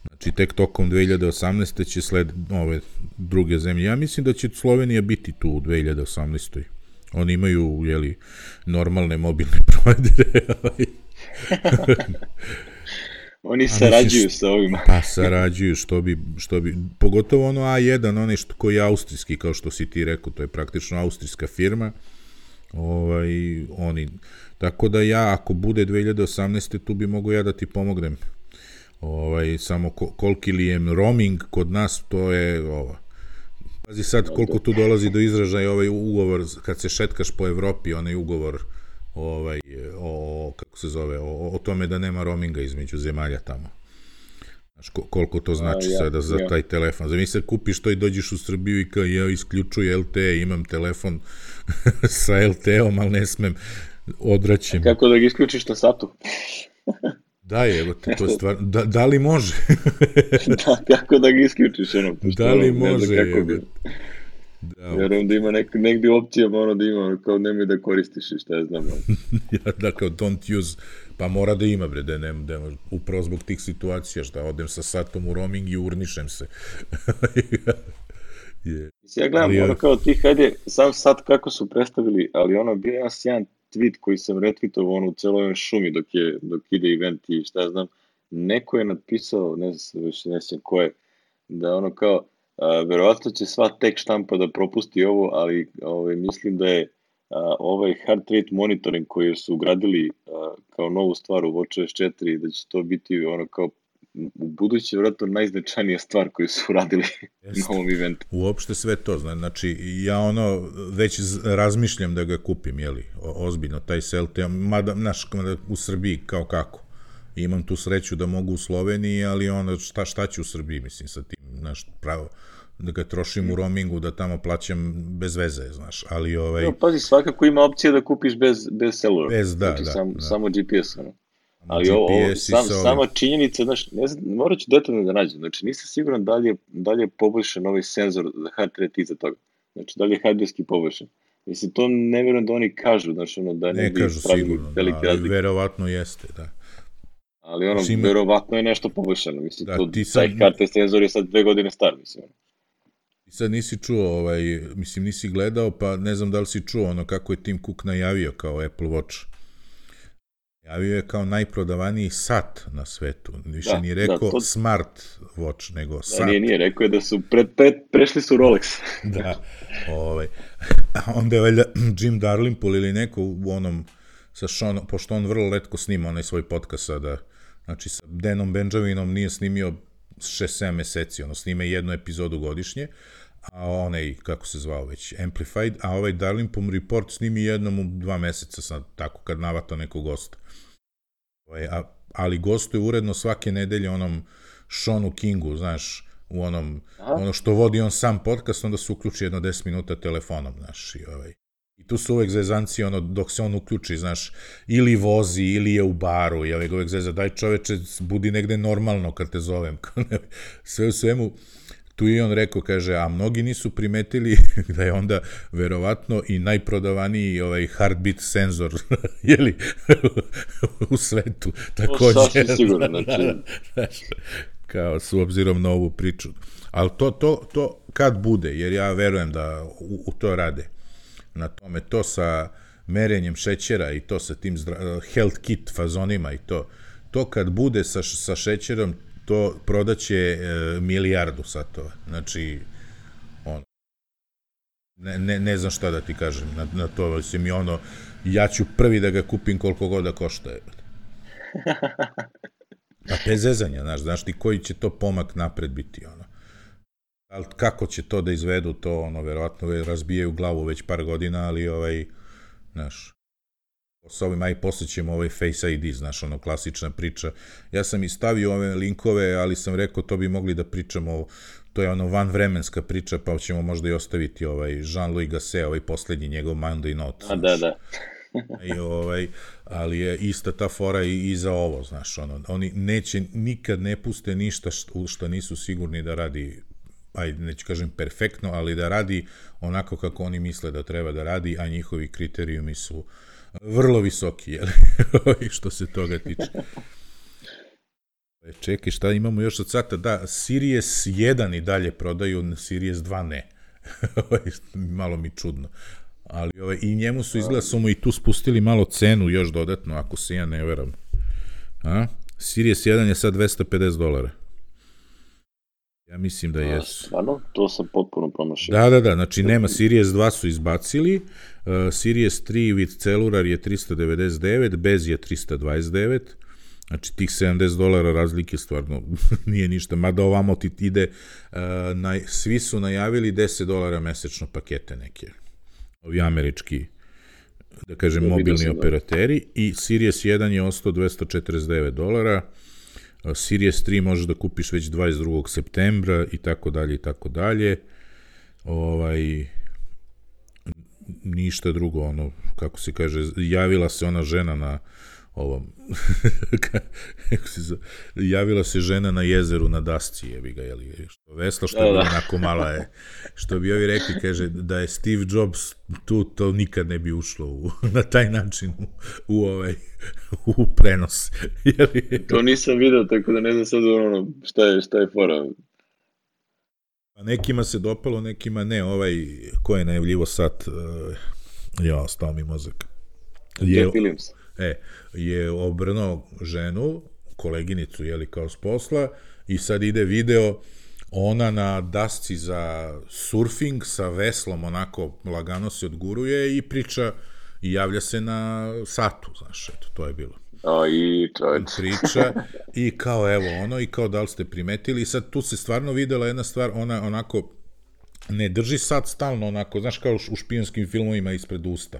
Znači, tek tokom dve hiljade osamnaeste će sled ove druge zemlje. Ja mislim da će Slovenija biti tu u dve hiljade osamnaestoj. Oni imaju, jeli, normalne mobilne provajdere. Oni sarađuju sa ovima. Pa sarađuju, što bi, što bi, pogotovo ono A jedan, onaj što, koji je austrijski, kao što si ti rekao, to je praktično austrijska firma. Ovaj, oni, tako da ja, ako bude dve hiljade osamnaeste, tu bi mogu ja da ti pomognem. Ovaj, samo ko, koliki li je roaming kod nas, to je ovo. Pazi sad koliko tu dolazi do izražaja ovaj ugovor, kad se šetkaš po Evropi, onaj ugovor ovaj, o, kako se zove, o, o tome da nema roaminga između zemalja tamo. Znaš, koliko to znači A, ja, sada za ja. taj telefon. Zamisli, kupiš to i dođeš u Srbiju i kao ja isključuju L T E, imam telefon sa L T E-om, ali ne smem, odraćem. A kako da ga isključiš na satu? Da je, evo, to je stvar, da, da li može? Da, kako da ga isključiš, ono, pošto, da li ono, može, ne kako bi. Da, vjerujem da ima nek, negdje opcija, ono da ima, kao nemoj da koristiš i šta ja znam. Ja, dakle, don't use, pa mora da ima, bre, da ne, da, upravo zbog tih situacija, šta odem sa satom u roaming i urnišem se. Je. Ja gledam, ali, ono kao ti, hajde, sam sad kako su predstavili, ali ono, bio je jedan tweet koji sam retweetovao ono u celoj ovoj šumi dok, je, dok ide event i šta ja znam, neko je napisao, ne znam, više ne znam ko je, da ono kao, a, verovatno će sva tek štampa da propusti ovo, ali ovaj, mislim da je a, ovaj heart rate monitoring koji su ugradili a, kao novu stvar u watchOS četiri, da će to biti ono kao u budući vjerojatno najznačajnija stvar koju su uradili na ovom eventu. Uopšte sve to, znači ja ono već razmišljam da ga kupim, jeli, o, ozbiljno, taj Celte, mada, znaš, u Srbiji kao kako. Imam tu sreću da mogu u Sloveniji, ali ono, šta, šta ću u Srbiji, mislim, sa tim, znaš, pravo, da ga trošim u roamingu, da tamo plaćam bez veze, znaš, ali ovaj... No, pazi, svakako ima opcija da kupiš bez, bez celula. Bez, da, znači, da, sam, da. Samo G P S, ono. Ali G P S ovo, ovo i sam, sa ovim- sama činjenica, znaš, ne znam, morat ću detaljno da nađem, znači nisam siguran da li je, da li je poboljšan ovaj senzor za heart rate iza toga. Znači, da li je hardwareski poboljšan. Mislim, to ne vjerujem da oni kažu, znači, ono, da ne, Ne bi kažu pravili sigurno, velike ali razlike. verovatno jeste, da. Ali ono, Znači, ima- verovatno je nešto poboljšano. Mislim, Da, to, ti sad- taj heart rate senzor je sad dve godine star, mislim. ono. I sad nisi čuo, ovaj, mislim nisi gledao, pa ne znam da li si čuo ono kako je Tim Cook najavio kao Apple Watch. Najavio je kao najprodavaniji sat na svetu. Više Da, nije da, rekao to- smart watch, nego Da, sat. nije, nije, rekao je da su pred, pred, prešli su Rolex. Da, ovaj. A onda je valjda Jim Dalrymple ili neko u onom, sa Sean, pošto on vrlo letko snima onaj svoj podcast sada, znači sa Danom Benjaminom nije snimio šest sedam meseci, ono snime jednu epizodu godišnje, a onaj, kako se zvao već, Amplified, a ovaj Dalrymple Report snimi jednom u dva meseca, sad, tako kad navata nekog gosta. Ovaj, a, ali gostuje uredno svake nedelje onom Seanu Kingu, znaš, u onom, Aha. ono što vodi on sam podcast, onda se uključi jedno deset minuta telefonom, znaš, i ovaj. I tu su uvek zezanci, ono, dok se on uključi, znaš, ili vozi, ili je u baru, i uvek zeza, daj čoveče, budi negde normalno kad te zovem. Sve u svemu, tu i on rekao, kaže, a mnogi nisu primetili da je onda verovatno i najprodavaniji ovaj heartbeat senzor, jeli, u svetu, takođe. sasvim sigurno, znači. Znaš, kao s obzirom na ovu priču. Ali to, to, to kad bude, jer ja verujem da u, u to rade. Na tome, to sa merenjem šećera i to sa tim zdra, health kit fazonima i to, to kad bude sa, sa šećerom, to prodaće e, milijardu satova. Znači, ono, ne, ne, ne znam šta da ti kažem na, na to, mislim i ono, ja ću prvi da ga kupim koliko god da košta. A bez zezanja, znaš, znaš ti koji će to pomak napred biti, ono. Ali kako će to da izvedu, to, ono, verovatno razbijaju glavu već par godina, ali, ovaj, znaš, s ovim, aj posle ćemo ovaj Face I D, znaš, ono, klasična priča. Ja sam i stavio ove linkove, ali sam rekao, to bi mogli da pričamo, to je ono vanvremenska priča, pa ćemo možda i ostaviti ovaj Jean-Louis Gasset, ovaj poslednji njegov Monday Note. A, da, da. I ovaj, ali je ista ta fora i, i za ovo, znaš, ono, oni neće, nikad ne puste ništa što, što nisu sigurni da radi, ajde, neću kažem perfektno, ali da radi onako kako oni misle da treba da radi, a njihovi kriterijumi su vrlo visoki, jel? Što se toga tiče. Čekaj, šta imamo još od sata? Da, Series jedan i dalje prodaju, Series dva ne. Malo mi čudno. Ali ovaj, i njemu su izgleda su mu i tu spustili malo cenu još dodatno, ako se ja ne veram. A? Series jedan je sad dvesta pedeset dolara. Ja mislim da jesu. Stvarno, to sam potpuno promašio. Da, da, da, znači nema, Series dva su izbacili, uh, Series tri with cellular je trista devedeset devet, bez je trista dvadeset devet, znači tih sedamdeset dolara razlike stvarno nije ništa, mada ovamo ti ide, uh, na, svi su najavili deset dolara mesečno pakete neke, ovi američki, da kažem, Ja, mobilni sam, operateri, i Series jedan je ostao dvesta četrdeset devet dolara, Series tri možeš da kupiš već dvadeset drugog septembra i tako dalje i tako dalje. Ovaj, ništa drugo, ono, kako se kaže, javila se ona žena na ovom, kako se zove, javila se žena na jezeru na dasci, jebi ga, jeli, što vesla, što je onako mala je, što bi ovi rekli, kaže, da je Steve Jobs tu, to nikad ne bi ušlo u, na taj način u, u ovaj, u prenos. Jeli? To nisam video, tako da ne znam sad ono, šta je, šta je fora. A nekima se dopalo, nekima ne. Ovaj, ko je najavljivo sad, uh, ja, stao mi mozak. Je, Jeff Williams. E, je obrnuo ženu, koleginicu, jeli, kao s posla, i sad ide video, ona na dasci za surfing sa veslom, onako lagano se odguruje i priča, i javlja se na satu, znaš, eto, to je bilo. O, i čovječ. Priča, i kao, evo, ono, i kao, da li ste primetili, i sad tu se stvarno videla jedna stvar, ona onako, ne drži sat stalno, onako, znaš, kao u špijonskim filmovima ispred usta,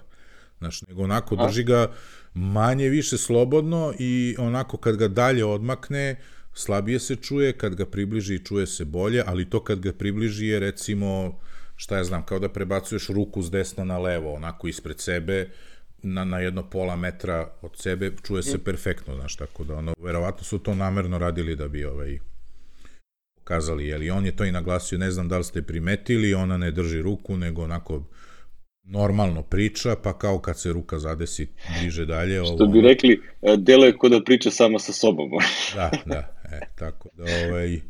znaš, nego onako drži ga manje više slobodno i onako kad ga dalje odmakne, slabije se čuje, kad ga približi čuje se bolje, ali to kad ga približi je recimo, šta ja znam, kao da prebacuješ ruku s desna na levo, onako ispred sebe, na, na jedno pola metra od sebe, čuje se perfektno, znaš, tako da ono, verovatno su to namerno radili da bi ovaj, pokazali, jel, on je to i naglasio, ne znam da li ste primetili, ona ne drži ruku, nego onako normalno priča, pa kao kad se ruka zadesi bliže dalje. Što bi rekli, delo je ko da priča sama sa sobom. Da, da, e, tako da ovaj,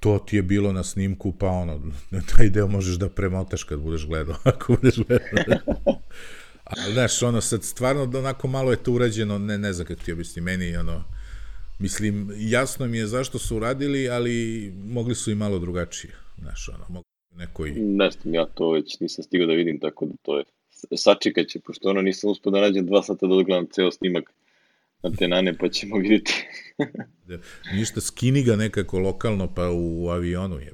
to ti je bilo na snimku, pa ono, taj deo možeš da premotaš kad budeš gledao, ako budeš gledao. Ali, znaš, ono, sad stvarno onako malo je to urađeno, ne, ne znam kako ti objasni, meni, ono, mislim, jasno mi je zašto su uradili, ali mogli su i malo drugačije, znaš, ono, mogli nekoj... Ne znam, ja to već nisam stigao da vidim, tako da to je, sačekat će, pošto ono nisam uspio da nađem dva sata da odgledam ceo snimak na te nane, pa ćemo vidjeti. Ništa, skini ga nekako lokalno, pa u avionu je.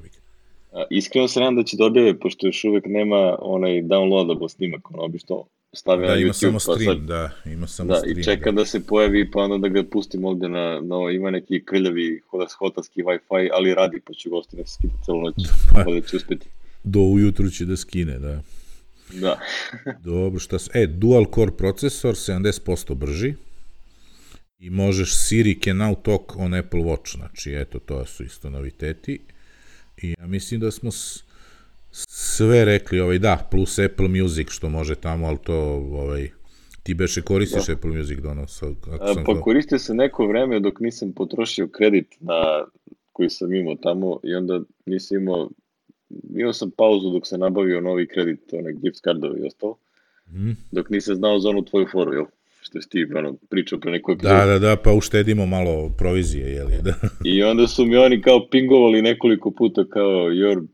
Iskreno se nadam da će da objave, pošto još uvek nema onaj downloadable snimak, ono obično stave na YouTube. Da, ima samo pa stream, sad, da, ima samo da, stream. I čeka da. da se pojavi, pa onda da ga pustim ovde na, na ima neki krljavi hotelski Wi-Fi, ali radi, pa ću ga ostaviti da skida celu noć, pa da će uspeti. Do ujutru će da skine, da. Da. Dobro, šta se... E, dual core procesor, sedamdeset posto brži, i možeš Siri can now talk on Apple Watch, znači, eto, to su isto noviteti. I ja mislim da smo s, sve rekli, ovaj, da, plus Apple Music, što može tamo, ali to, ovaj, ti beše koristiš da. Apple Music donos. Ako sam pa to... koristio se neko vreme dok nisam potrošio kredit na koji sam imao tamo i onda nisam imao, imao sam pauzu dok sam nabavio novi kredit, onaj gift cardovi i ostalo, mm. dok nisam znao za onu tvoju foru, jel? Što je ti ono, pričao pre nekoj epizodi. Da, da, da, pa uštedimo malo provizije, jel je, da. I onda su mi oni kao pingovali nekoliko puta kao your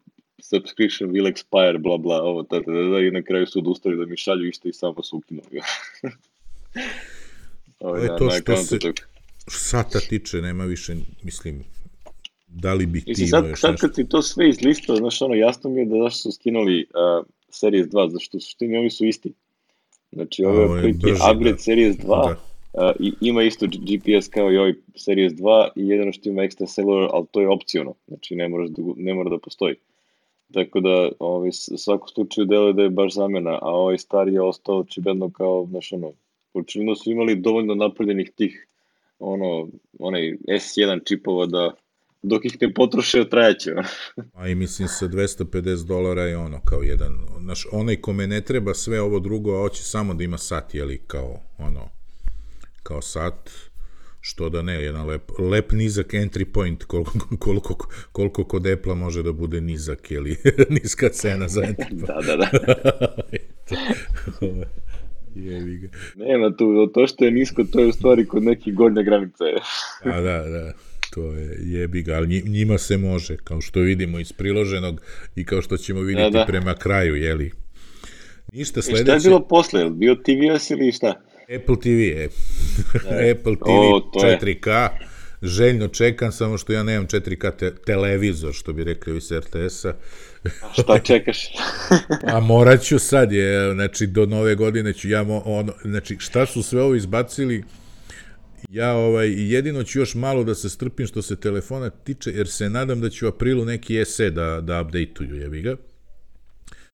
subscription will expire, bla, bla, ovo, tada, da, da, i na kraju su odustali da mi šalju isto i samo su ukinuli. Ovo je to što se sata tiče, nema više, mislim, da li bi ti imao sad, još sad nešto? Sad kad si to sve izlistao, znaš, ono, jasno mi je da zašto su skinuli uh, Series dva, zašto u suštini ovi su isti. Znači, ovo je otprilike upgrade da. Series dva, da. uh, i ima isto G P S kao i ovaj Series dva i jedino što ima extra cellular, ali to je opciono, znači ne, moraš da, ne mora da postoji. Tako da, ovaj, svako slučaju deluje da je baš zamena, a ovaj stari je ostao očigledno kao, znaš, ono, očigledno su imali dovoljno napravljenih tih, ono, onaj S jedan čipova da dok ih ne potroše, trajaće. A i mislim sa dvesta pedeset dolara je ono kao jedan, znaš, onaj kome ne treba sve ovo drugo, a hoće samo da ima sat, jeli, kao ono, kao sat, što da ne, jedan lep, lep nizak entry point, koliko, koliko, koliko kod Apple-a može da bude nizak, jeli, niska cena za entry point. Da, da, da. Jevi ga. Nema tu, to što je nisko, to je u stvari kod nekih gornje granice. A da, da. To je jebi ga, ali njima se može, kao što vidimo iz priloženog i kao što ćemo vidjeti da, da. prema kraju, jeli. Ništa sledeće... Šta je bilo posle? Bio T V S ili šta? Apple T V, je. Apple T V o, četiri K, je. Željno čekam, samo što ja nemam četiri K te televizor, što bi rekli iz R T S-a. A šta čekaš? A morat ću sad, je, znači do nove godine ću ja, ono, znači šta su sve ovo izbacili, ja ovaj, jedino ću još malo da se strpim što se telefona tiče, jer se nadam da ću u aprilu neki S E da, da update-uju, jebi ga.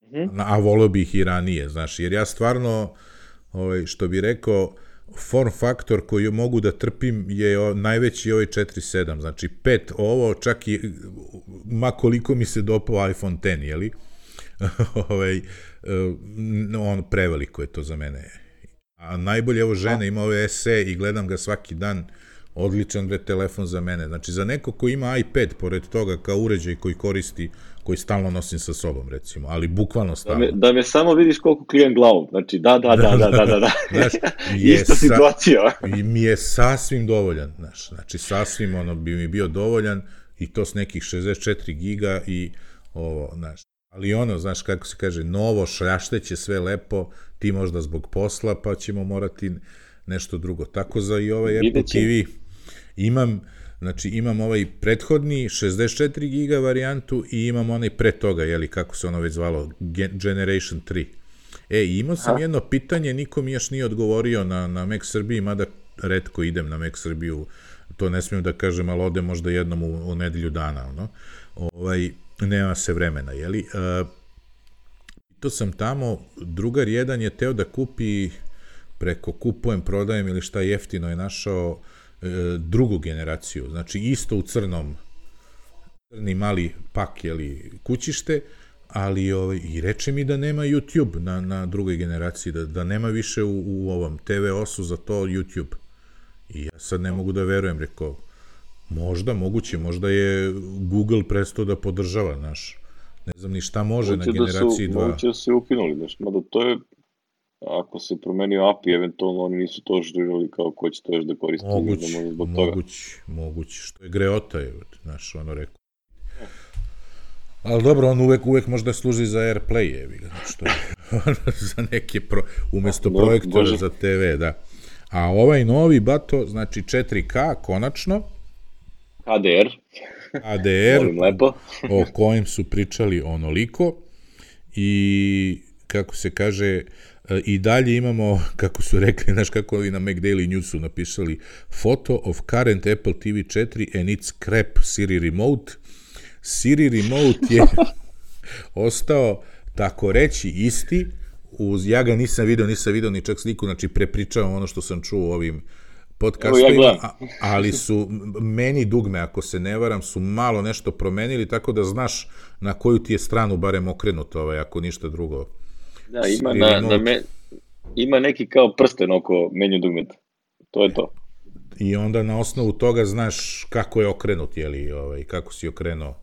Mm-hmm. A volio bih i ranije, znaš, jer ja stvarno, ovaj, što bi rekao, form faktor koji mogu da trpim je najveći ovaj četiri sedam, znači pet ovo, čak i, ma koliko mi se dopao iPhone X, jeli? ovaj, on preveliko je to za mene. A najbolje, evo žena ima ove S E i gledam ga svaki dan odličan bre telefon za mene. Znači, za neko ko ima iPad, pored toga, kao uređaj koji koristi, koji stalno nosim sa sobom, recimo, ali bukvalno stalno. Da me, da me samo vidiš koliko klijem glavom. Znači, da, da, da, da, da, da, da. Znaš, ista situacija. I mi je sasvim dovoljan, znaš, znači, sasvim, ono, bi mi bio dovoljan i to s nekih šezdeset četiri giga i ovo, znaš. Ali ono, znaš, kako se kaže, novo, šljašteće, sve lepo, ti možda zbog posla, pa ćemo morati nešto drugo. Tako za i ovaj Apple T V imam, znači imam ovaj prethodni šezdeset četiri giga varijantu i imam onaj pre toga, jeli, kako se ono već zvalo, Generation tri. E, imao sam jedno pitanje, niko mi još nije odgovorio na, na Mac Srbiji, mada retko idem na Mac Srbiju, to ne smijem da kažem, ali ode možda jednom u, u nedelju dana, ono. Ovaj, nema se vremena, jeli? Uh, to sam tamo, drugar jedan je teo da kupi preko kupujem, prodajem ili šta jeftino je našao uh, drugu generaciju, znači isto u crnom, crni mali pak, jeli, kućište, ali ovaj, i reče mi da nema YouTube na, na drugoj generaciji, da, da nema više u, u ovom te ve osu za to YouTube. I ja sad ne mogu da verujem, rekao, možda, moguće, možda je Google prestao da podržava, naš, ne znam ni šta može moguće na generaciji dva. Moguće da se ukinuli, znaš, mada to je, ako se promenio A P I, eventualno oni nisu to žirali kao ko će to još da koristi. Moguće, da zbog moguće, toga. moguće, što je greota, je, znaš, ono rekao. Ali dobro, on uvek, uvek možda služi za AirPlay, je, što je, za neke, pro, umesto no, projektora Bože. Za te ve, da. A ovaj novi, bato, znači četiri ka, konačno. H D R. H D R, o kojem su pričali onoliko. I, kako se kaže, i dalje imamo, kako su rekli, znaš kako ovi na Mac Daily Newsu napisali, photo of current Apple T V četiri and its crap Siri remote. Siri remote je ostao, tako reći, isti. Uz, ja ga nisam video, nisam video ni čak sliku, znači prepričavam ono što sam čuo u ovim podcastovima, ja ali su meni dugme, ako se ne varam, su malo nešto promenili, tako da znaš na koju ti je stranu barem okrenuto, ovaj, ako ništa drugo. Da, ima, na, na me, ima neki kao prsten oko menju dugmeta, to je to. I onda na osnovu toga znaš kako je okrenut, jeli, ovaj, kako si okrenuo.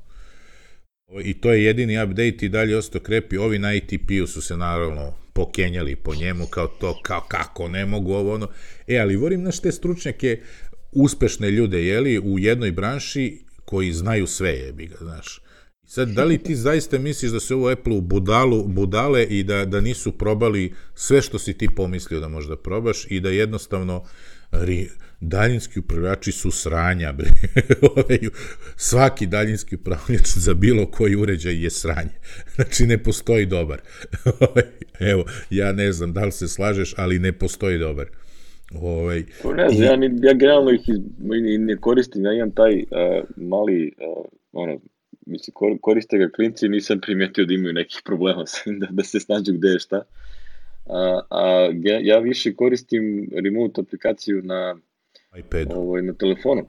I to je jedini update i dalje ostao krepi. Ovi na A T P-u su se naravno pokenjali po njemu kao to, kao kako ne mogu ovo ono. E, ali vorim naš te stručnjake, uspešne ljude, jeli, u jednoj branši koji znaju sve, jebi ga, znaš. Sad, da li ti zaista misliš da se ovo Apple u budalu, budale i da, da nisu probali sve što si ti pomislio da možda probaš i da jednostavno ri, daljinski upravljači su sranja, bre. Svaki daljinski upravljač za bilo koji uređaj je sranje. Znači, ne postoji dobar. Evo, ja ne znam da li se slažeš, ali ne postoji dobar. Ovaj, ne znam, i... ja, ni, ja generalno ih iz, ne koristim, ja imam taj uh, mali, uh, ono, mislim, koriste ga klinci i nisam primetio da imaju nekih problema da, da se snađu gde je šta. A, a ja više koristim remote aplikaciju na iPadu. Ovaj, na telefonu.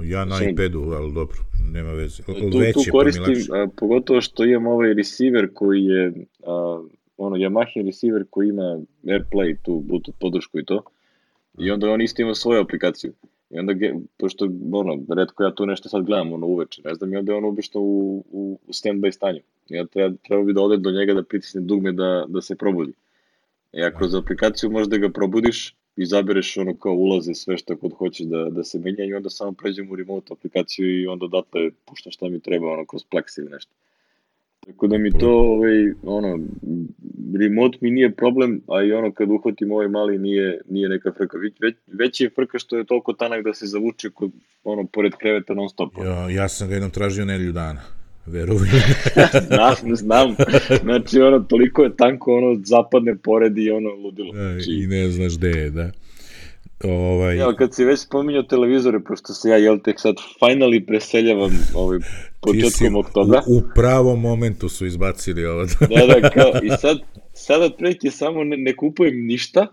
Ja na Sam, iPadu, ali dobro, nema veze. Tu, tu koristim, a, pogotovo što imam ovaj receiver koji je, a, ono, Yamaha receiver koji ima AirPlay, tu Bluetooth podršku i to. I onda on isto ima svoju aplikaciju. I onda, pošto, ono, redko ja tu nešto sad gledam, ono, uveče, ne znam, i onda je on obično u, u, u stand-by stanju. I ja treba, treba bi da ode do njega da pritisne dugme da, da se probudi. I ako kroz aplikaciju možeš da ga probudiš, izabereš ono kao ulaze sve što kod hoćeš da, da se menja i onda samo pređem u remote aplikaciju i onda odatle puštam šta mi treba, ono, kroz Plex ili nešto. Tako da mi to, ovaj, ono, remote mi nije problem, a i ono kad uhvatim ovaj mali nije, nije neka frka. Već, već je frka što je toliko tanak da se zavuče kod, ono, pored kreveta non stop. Ja, ja sam ga jednom tražio nedelju dana. Verujem. znam, znam. Znači, ono, toliko je tanko, ono, zapadne pored i ono, ludilo. Znači, i ne znaš gde je, da. Ovaj... Evo, kad si već spominjao televizore, pošto se ja, jel, tek sad finally preseljavam ovaj, početkom oktobra. U, u pravom momentu su izbacili ovo. da, da, kao, i sad, sad otprilike samo ne, ne kupujem ništa,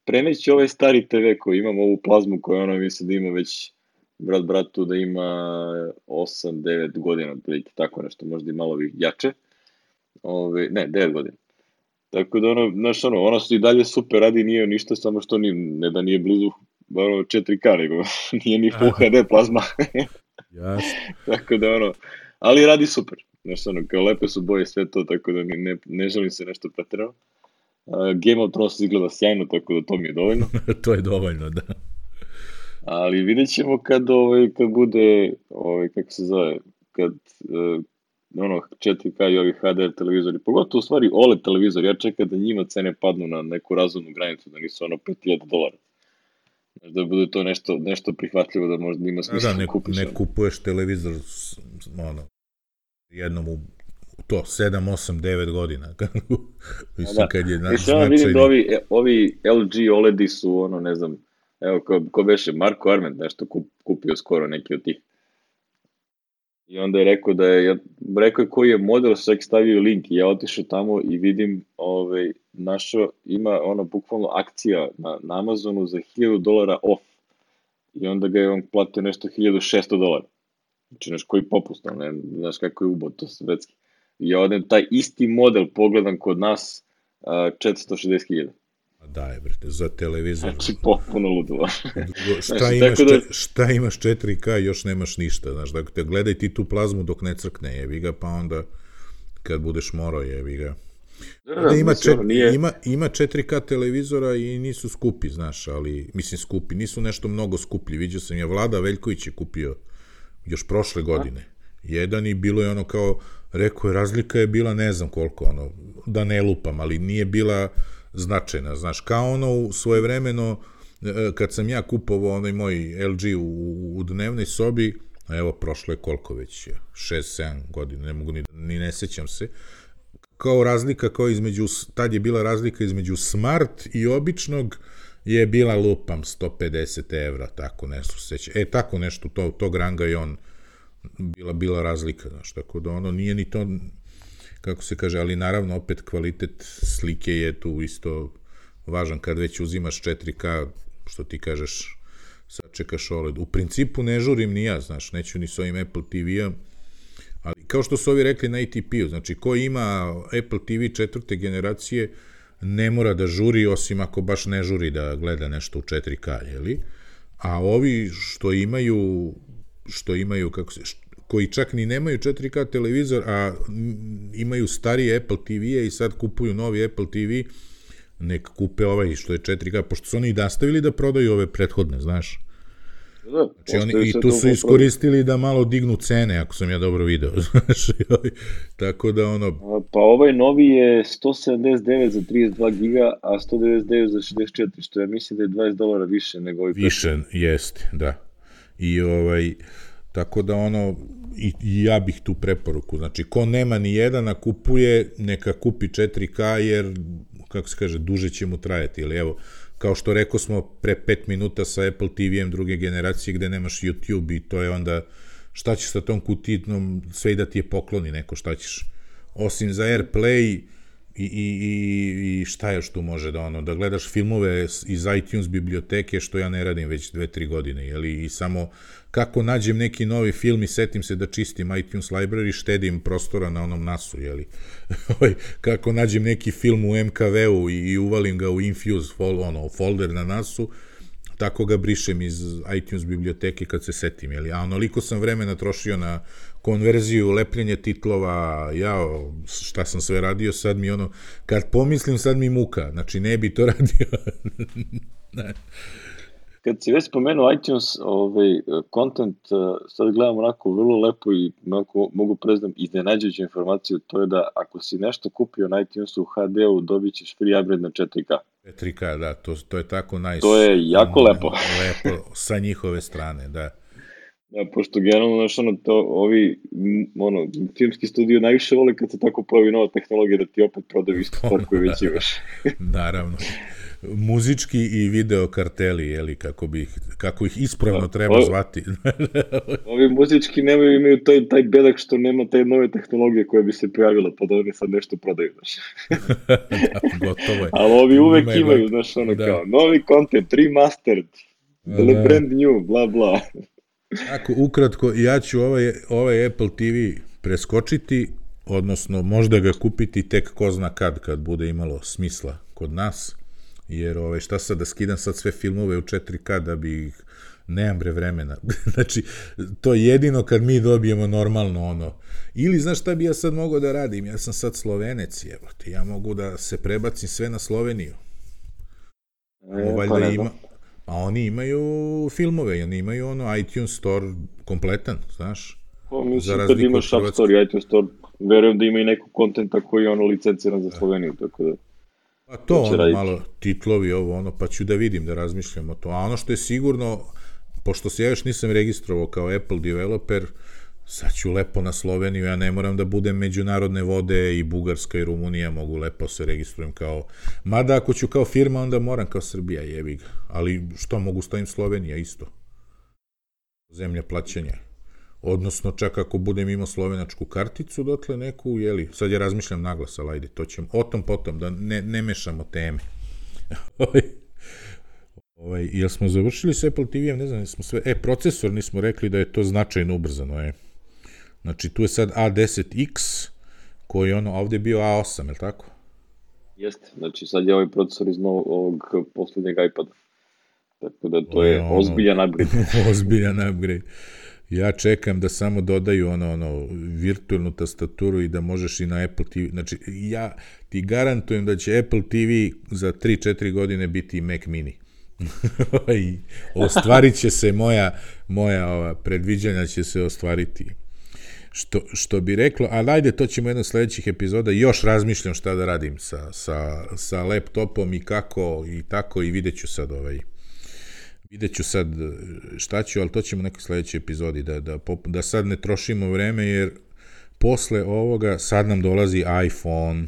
preneći ovaj stari te ve koji imam, ovu plazmu koju ono mislim da ima već brat bratu da ima osam devet godina, otprilike tako nešto, možda i malo jače. Ove, ne, devet godina. Tako da ono, znaš, ono, ona su i dalje super radi, nije ništa, samo što ni, ne da nije blizu ono, četiri ka, nego nije ni Full H D plazma. Jasno. Tako da, ono, ali radi super. Znaš, ono, kao lepe su boje sve to, tako da ne, ne, ne želim se nešto preterano. Uh, Game of Thrones izgleda sjajno, tako da to mi je dovoljno. To je dovoljno, da. Ali vidjet ćemo kad, ovaj, kad bude, ovaj, kako se zove, kad uh, ono, četiri ka i ovi H D televizori, pogotovo u stvari O L E D televizori, ja čekam da njima cene padnu na neku razumnu granicu, da nisu ono pet hiljada dolara. Znači da bude to nešto, nešto prihvatljivo, da možda ima smisla da, ne, kupiš. ne kupuješ televizor ono, jednom u to, sedam, osam, devet godina. Mislim, da. Kad je na, Mislim, ja vidim da ovi, ovi L G O L E D-i su, ono, ne znam, evo, ko, ko beše, Marko Arment nešto kup, kupio skoro neki od tih. I onda je rekao da je, rekao je koji je model, čak stavio link i ja otišao tamo i vidim, ovaj, našo, ima ono bukvalno akcija na, na Amazonu za hiljadu dolara off. I onda ga je on platio nešto hiljadu šesto dolara. Znači, znaš koji popust, ne, znaš kako je ubod to svetski. I ja odem taj isti model pogledam kod nas četiristo šezdeset hiljada. Daj, brate, za televizor. Znači, potpuno ludilo. šta, znači, imaš, da... šta imaš četiri ka i još nemaš ništa, znaš, dakle, gledaj ti tu plazmu dok ne crkne, jebi ga, pa onda kad budeš morao, jebi ga. Da, da, ima, čet, nije... ima, ima četiri ka televizora i nisu skupi, znaš, ali, mislim, skupi, nisu nešto mnogo skuplji, vidio sam ja, Vlada Veljković je kupio još prošle godine. A? Jedan i bilo je ono kao, rekao je, razlika je bila ne znam koliko, ono, da ne lupam, ali nije bila značajna, znaš, kao ono svojevremeno, kad sam ja kupovao onaj moj L G u, u dnevnoj sobi, a evo, prošlo je koliko već, šest sedam godina, ne mogu ni, ni ne sećam se, kao razlika, kao između, tad je bila razlika između Smart i običnog, je bila lupam sto pedeset evra, tako nešto seća. E, tako nešto, to, tog ranga i on, bila, bila razlika, znaš, tako da ono nije ni to, kako se kaže, ali naravno opet kvalitet slike je tu isto važan kad već uzimaš četiri ka, što ti kažeš, sad čekaš O L E D. U principu ne žurim ni ja, znaš, neću ni s ovim Apple T V-om, ali kao što su ovi rekli na A T P-u, znači ko ima Apple T V četvrte generacije, ne mora da žuri, osim ako baš ne žuri da gleda nešto u četiri ka, jeli? A ovi što imaju, što imaju, kako se, koji čak ni nemaju četiri ka televizor, a imaju starije Apple T V-e i sad kupuju novi Apple T V, nek kupe ovaj što je četiri ka, pošto su oni i nastavili da prodaju ove prethodne, znaš. Da, znači, oni, i tu su iskoristili da malo dignu cene, ako sam ja dobro video, znaš, tako da ono... Pa ovaj novi je sto sedamdeset devet za trideset dva giga, a sto devedeset devet za šezdeset četiri, što ja mislim da je dvadeset dolara više nego ovaj više, prethodni. Jeste, da. I ovaj, tako da ono, i, i ja bih tu preporuku, znači, ko nema ni jedan, a kupuje, neka kupi četiri ka, jer, kako se kaže, duže će mu trajati, ili evo, kao što rekao smo pre pet minuta sa Apple T V-em druge generacije gde nemaš YouTube i to je onda, šta ćeš sa tom kutitnom, sve i da ti je pokloni neko, šta ćeš, osim za AirPlay i, i, i, i šta još tu može da ono, da gledaš filmove iz iTunes biblioteke, što ja ne radim već dve, tri godine, jeli, i samo kako nađem neki novi film i setim se da čistim iTunes library, štedim prostora na onom nasu, jeli, kako nađem neki film u M K V-u i, i uvalim ga u Infuse fol, ono, folder na nasu, tako ga brišem iz iTunes biblioteke kad se setim, jeli, a onoliko sam vremena trošio na konverziju, lepljenje titlova, ja, šta sam sve radio, sad mi ono, kad pomislim, sad mi muka, znači ne bi to radio. Ne. Kad si već spomenuo iTunes, ovaj, content, sad gledam onako vrlo lepo i onako, mogu preznam iznenađujuću informaciju, to je da ako si nešto kupio na iTunesu u H D-u, dobit ćeš free upgrade na četiri ka. četiri ka, da, to, to je tako nice. To je jako um, lepo. Lepo, sa njihove strane, da. Da, pošto generalno, znaš, ono, to, ovi, ono, filmski studio najviše vole kad se tako pojavi nova tehnologija da ti opet prodaju istu stvar koju već imaš. Naravno. Muzički i video karteli, jeli, kako, bi, kako ih ispravno da, treba ovi, zvati. Ovi muzički nemaju, imaju taj, taj bedak što nema taj nove tehnologije koja bi se pojavila, pa da oni sad nešto prodaju, znaš. Da, gotovo je. Ali ovi uvek Ima imaju, znaš, ono da. Kao, novi content, remastered, da. Brand new, bla, bla. Tako, ukratko, ja ću ovaj, ovaj Apple T V preskočiti, odnosno možda ga kupiti tek ko zna kad, kad bude imalo smisla kod nas. jer ovaj, šta sad da skidam sad sve filmove u četiri ka da bi ih, nemam bre vremena. Znači, to je jedino kad mi dobijemo normalno ono. Ili, znaš šta bi ja sad mogao da radim? Ja sam sad Slovenec, evo ti, ja mogu da se prebacim sve na Sloveniju. E, Valjda pa ima, a oni imaju filmove, oni imaju ono iTunes Store kompletan, znaš. Pa mislim kad imaš App Store i iTunes Store, verujem da ima i neko kontenta koji je ono licenciran za Sloveniju, tako da... A to ono raditi. Malo titlovi ovo ono, pa ću da vidim, da razmišljam o to. A ono što je sigurno, pošto se ja još nisam registrovao kao Apple developer, sad ću lepo na Sloveniju, ja ne moram da budem međunarodne vode i Bugarska i Rumunija, mogu lepo se registrujem kao, mada ako ću kao firma, onda moram kao Srbija, jebi ga. Ali što, mogu stavim Slovenija isto. Zemlja plaćanja. Odnosno, čak ako budem imao slovenačku karticu, dotle neku, jeli, sad ja razmišljam naglas, ali ajde, to ćemo, o tom potom, da ne, ne mešamo teme. Ovaj, jel smo završili s Apple T V-em, ne znam, smo sve, e, procesor nismo rekli da je to značajno ubrzano, je. Znači, tu je sad A deset X, koji je ono, ovde je bio A osam, je li tako? Jeste, znači sad je ovaj procesor iz novog, ovog poslednjeg iPada. Tako da to je, je ono, ozbiljan upgrade. Ozbiljan upgrade. Ja čekam da samo dodaju ono, ono, virtualnu tastaturu i da možeš i na Apple T V. Znači, ja ti garantujem da će Apple T V za tri četiri godine biti Mac mini. I ostvarit će se moja, moja ova, predviđanja će se ostvariti. Što, što bi reklo, ali ajde, to ćemo jedno sledećih epizoda, još razmišljam šta da radim sa, sa, sa laptopom i kako i tako i vidjet ću sad ovaj, vidjet ću sad šta ću, ali to ćemo u nekoj sledećoj epizodi, da, da, da sad ne trošimo vreme, jer posle ovoga sad nam dolazi iPhone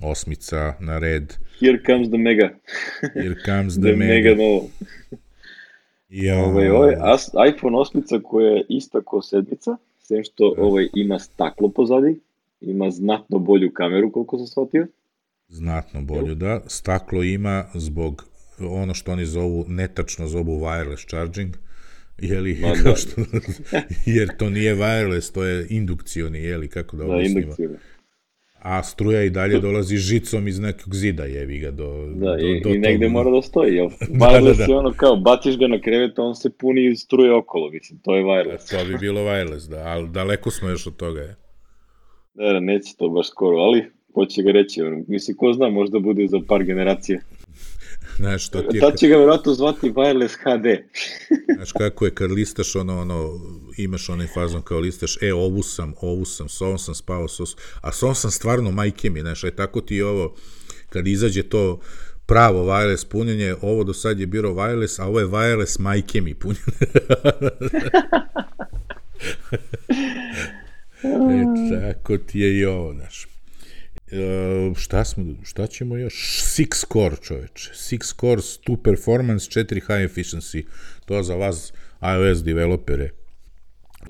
osmica na red. Here comes the mega. Here comes the, the mega. mega novo. Ja. Ovaj, ovaj, iPhone osmica koja je ista ko sedmica, sem što ovaj, ima staklo pozadi, ima znatno bolju kameru, koliko sam shvatio. Znatno bolju, da. Staklo ima zbog ono što oni zovu, netačno zovu wireless charging, jeli, Ma, kao što, jer to nije wireless, to je indukcioni, jeli, kako da objasnimo. Da, a struja i dalje dolazi žicom iz nekog zida, jevi ga, do... Da, do, i, do i negde toga. mora da stoji, jel? Wireless da, da, da. je ono kao, baciš ga na krevet, on se puni iz struje okolo, mislim, to je wireless. To bi bilo wireless, da, ali daleko smo još od toga, je. Da, neće to baš skoro, ali hoće ga reći, mislim, ko zna, možda bude za par generacija. Znaš, to ti je... Tad će ga vjerojatno zvati wireless H D. Znaš kako je, kad listaš ono, ono, imaš onaj fazon kao listaš, e, ovu sam, ovu sam, s ovom sam spavao, s ovom, a s ovom sam stvarno majke mi, znaš, aj tako ti ovo, kad izađe to pravo wireless punjenje, ovo do sad je bilo wireless, a ovo je wireless majke mi punjenje. E, tako ti je i ovo, znaš. Uh, šta smo, šta ćemo još? Six core, čoveče. Six core, two performance, četiri high efficiency. To za vas iOS developere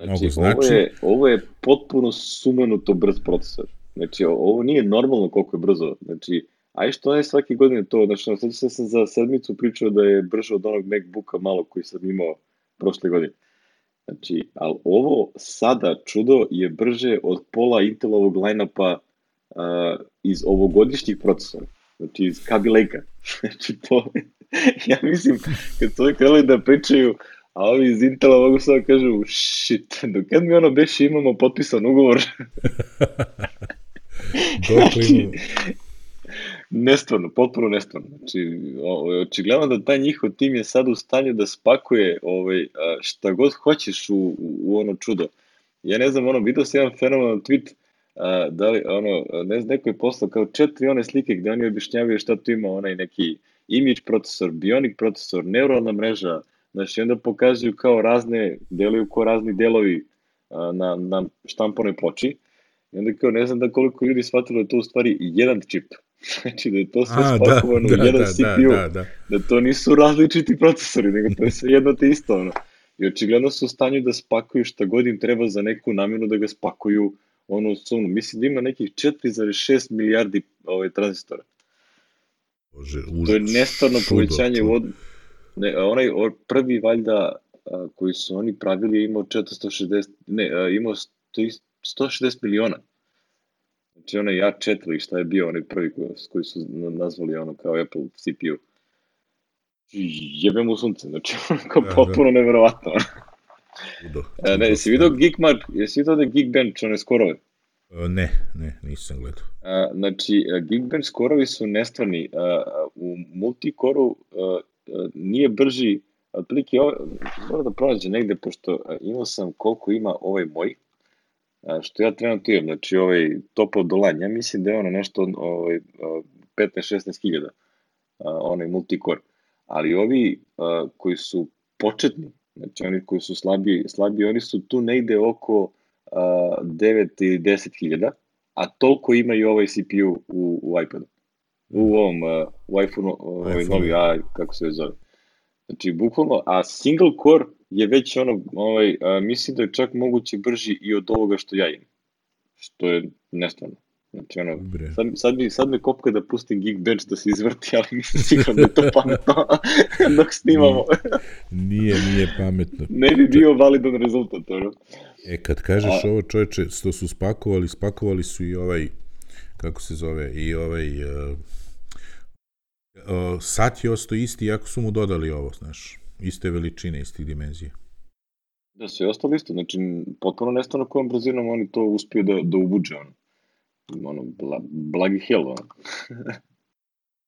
znači, znači. Ovo je, ovo je potpuno sumanuto brz procesor. Znači, ovo nije normalno koliko je brzo. Znači, aj što je svake godine to, znači, sad ću sam za sedmicu pričao da je brže od onog MacBooka malo koji sam imao prošle godine. Znači, ali ovo sada čudo je brže od pola Intelovog line-upa Uh, iz ovogodišnjih procesora, znači iz Kaby Lake-a. Znači to, ja mislim, kad su ovi krali da pričaju, a ovi iz Intela mogu sada kažu, shit, do kad mi ono beše imamo potpisan ugovor? Znači, nestvarno, potpuno nestvarno. Znači, očigledno da taj njihov tim je sad u stanju da spakuje ovaj, šta god hoćeš u, u ono čudo. Ja ne znam, ono, vidio sam jedan fenomenalan tweet, Uh, da li, ono, ne znam, neko je poslao kao četiri one slike gde oni objašnjavaju šta tu ima, onaj neki image procesor, bionic procesor, neuralna mreža, znači onda pokazuju kao razne, deluju kao razni delovi uh, na, na štamponoj ploči i onda kao ne znam da koliko ljudi shvatilo da je to u stvari jedan čip, znači da je to sve A, spakovano da, u jedan da, C P U, da, da, da. da to nisu različiti procesori, nego to je sve jedno te isto, ono. I očigledno su u stanju da spakuju šta god im treba za neku namjenu da ga spakuju ono sumno. Mislim da ima nekih četiri zarez šest milijardi ovaj, tranzistora. Bože, to je nestvarno povećanje u od... ne, onaj prvi valjda a, koji su oni pravili je imao četiristo šezdeset, ne, a, imao sto šezdeset miliona. Znači onaj A četiri, šta je bio onaj prvi koji, koji su nazvali ono kao Apple C P U. Jebe mu sunce, znači onako Da, potpuno neverovatno. Čudo, E, ne, čudo jesi vidio stvarno. Geekmart, jesi vidio da je Geekbench, one skorove? E, Ne, ne, nisam gledao. A, znači, a, Geekbench skorovi su nestvarni. A, a, u multikoru a, a, nije brži, otprilike, ovo- moram da pronađe negde, pošto a, imao sam koliko ima ovaj moj, a, što ja trenutno imam, znači ovaj top of the line, ja mislim da je ono nešto ovaj, a, petnaest šesnaest hiljada, a, onaj multicore. Ali ovi a, koji su početni, znači oni koji su slabiji, slabiji oni su tu negde oko a, devet ili deset hiljada, a toliko ima i ovaj C P U u, u iPadu. U ovom, uh, u iPhone-u, ovaj iPhone-u. novi, a, kako se zove. Znači, bukvalno, a single core je već ono, ovaj, a, mislim da je čak moguće brži i od ovoga što ja imam. Što je nestvarno. Znači, ono, Bre. sad, sad, mi, sad me kopka da pustim Geekbench da se izvrti, ali nisam siguran da je to pametno dok snimamo. Nije, nije pametno. Ne bi bio validan rezultat, ono. E, kad kažeš A- ovo, čoveče, što su spakovali, spakovali su i ovaj, kako se zove, i ovaj, uh, uh, sat je ostao isti, iako su mu dodali ovo, znaš, iste veličine, istih dimenzija. Da, sve ostalo isto, znači, potpuno nestano kojom brzinom oni to uspiju da, da ubuđe, ono. Ono, bla, blagi hell, ono.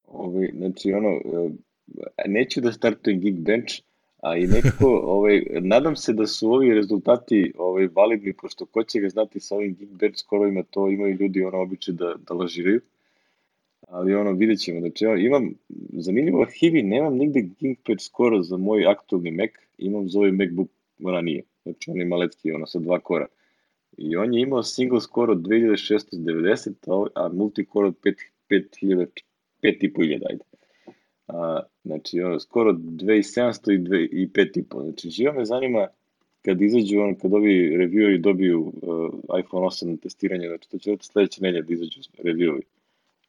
Ovi, znači, ono, e, neću da startujem Geekbench, a i nekako, ovaj, nadam se da su ovi rezultati ovaj, validni, pošto ko će ga znati sa ovim Geekbench skorovima, to imaju ljudi, ono, običaj da, da lažiraju. Ali ono, vidjet ćemo. Znači, ja imam, zanimljivo arhivi, nemam nigde Geekbench skoro za moj aktualni Mac, imam za ovaj MacBook ranije. Znači, on je maletki, ono, sa dva kora. I on je imao single score od dve hiljade šesnaeste devedeset, a, ovaj- a multicore od pet hiljada, pet i po hiljada, ajde. A, znači, ono, skoro dve hiljade sedamsto i, dve, i pet i po. Znači, živo me zanima kad izađu, on, kad ovi revieweri dobiju uh, iPhone osam na testiranje, znači to će od sledeće nedelje da izađu revieweri.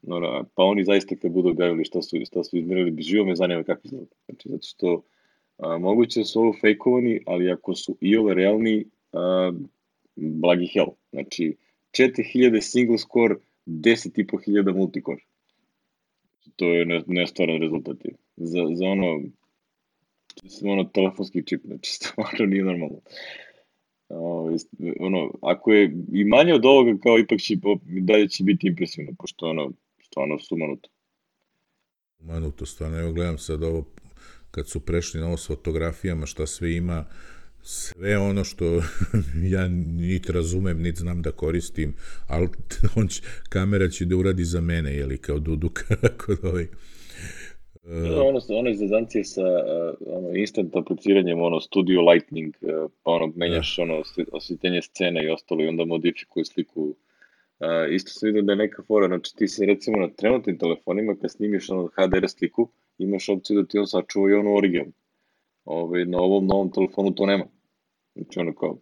No, no, pa oni zaista kad budu objavili šta su, šta su izmerili, živo me zanima kako izgleda. Znači, zato što a, moguće da su ovo fejkovani, ali ako su i ove realni, a, blagi hell. Znači, četiri hiljade single score, deset i po hiljada multicore. To je ne, nestvaran rezultat. Za, za ono, za ono telefonski čip, znači stvarno nije normalno. O, ono, ako je i manje od ovoga, kao ipak će, dalje će biti impresivno, pošto ono, stvarno sumanuto. Manuto, stvarno, evo gledam sad ovo, kad su prešli na ovo s fotografijama, šta sve ima, sve ono što ja niti razumem, niti znam da koristim, ali on će, kamera će da uradi za mene, jeli, kao Duduka, kod ovaj... Uh, ono, ono iz zezancije sa uh, ono, instant apliciranjem, ono, Studio Lightning, uh, pa ono, menjaš, da. ono, osvjetljenje scene i ostalo i onda modifikuje sliku. Uh, isto sam vidio da je neka fora, znači ti se recimo na trenutnim telefonima, kad snimiš ono H D R sliku, imaš opciju da ti on sačuva i ono original. Ove, na ovom novom telefonu to nema. Znači ono kao,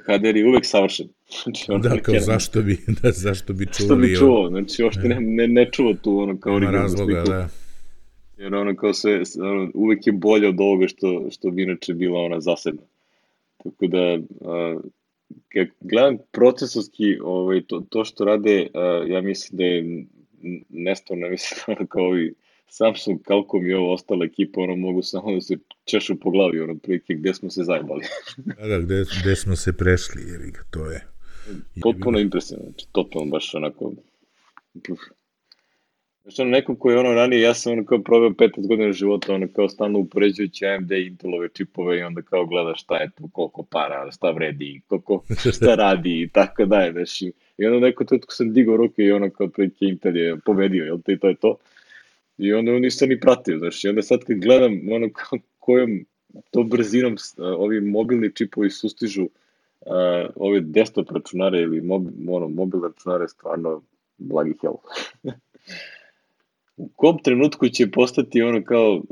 H D R je uvek savršen. Znači, ono, da, kao ne, zašto bi, da, zašto bi čuvali... Zašto bi čuvao, znači uopšte ne, ne, ne čuva tu ono kao originalnu razloga, sliku. Da. Jer ono kao sve, ono, uvek je bolje od ovoga što, što bi inače bila ona zasebna. Tako da, uh, kad gledam procesorski, ovaj, to, to što rade, uh, ja mislim da je nestavno, mislim da ono kao ovi Samsung, Qualcomm i ovo ostala ekipa, ono mogu samo da se češu po glavi, ono prilike gde smo se zajebali. Da, da, gde, gde smo se prešli, jer to je... Potpuno impresivno, znači, totalno baš onako... Puf. Znači, ono, nekom koji je ono ranije, ja sam ono kao probao petnaest godina života, ono kao stalno upoređujući A M D i Intelove čipove i onda kao gledaš šta je tu, koliko para, šta vredi, koliko, šta radi i tako dalje, znači. I onda neko tutko sam digao ruke i ono kao prilike Intel je pobedio, jel te, i to je to. I onda nisam ni pratio, znači, onda sad kad gledam ono kao kojom to brzinom uh, ovi mobilni čipovi sustižu uh, ove desktop računare ili mob, ono, mobilne računare, stvarno blagi hell. U kom trenutku će postati ono kao uh,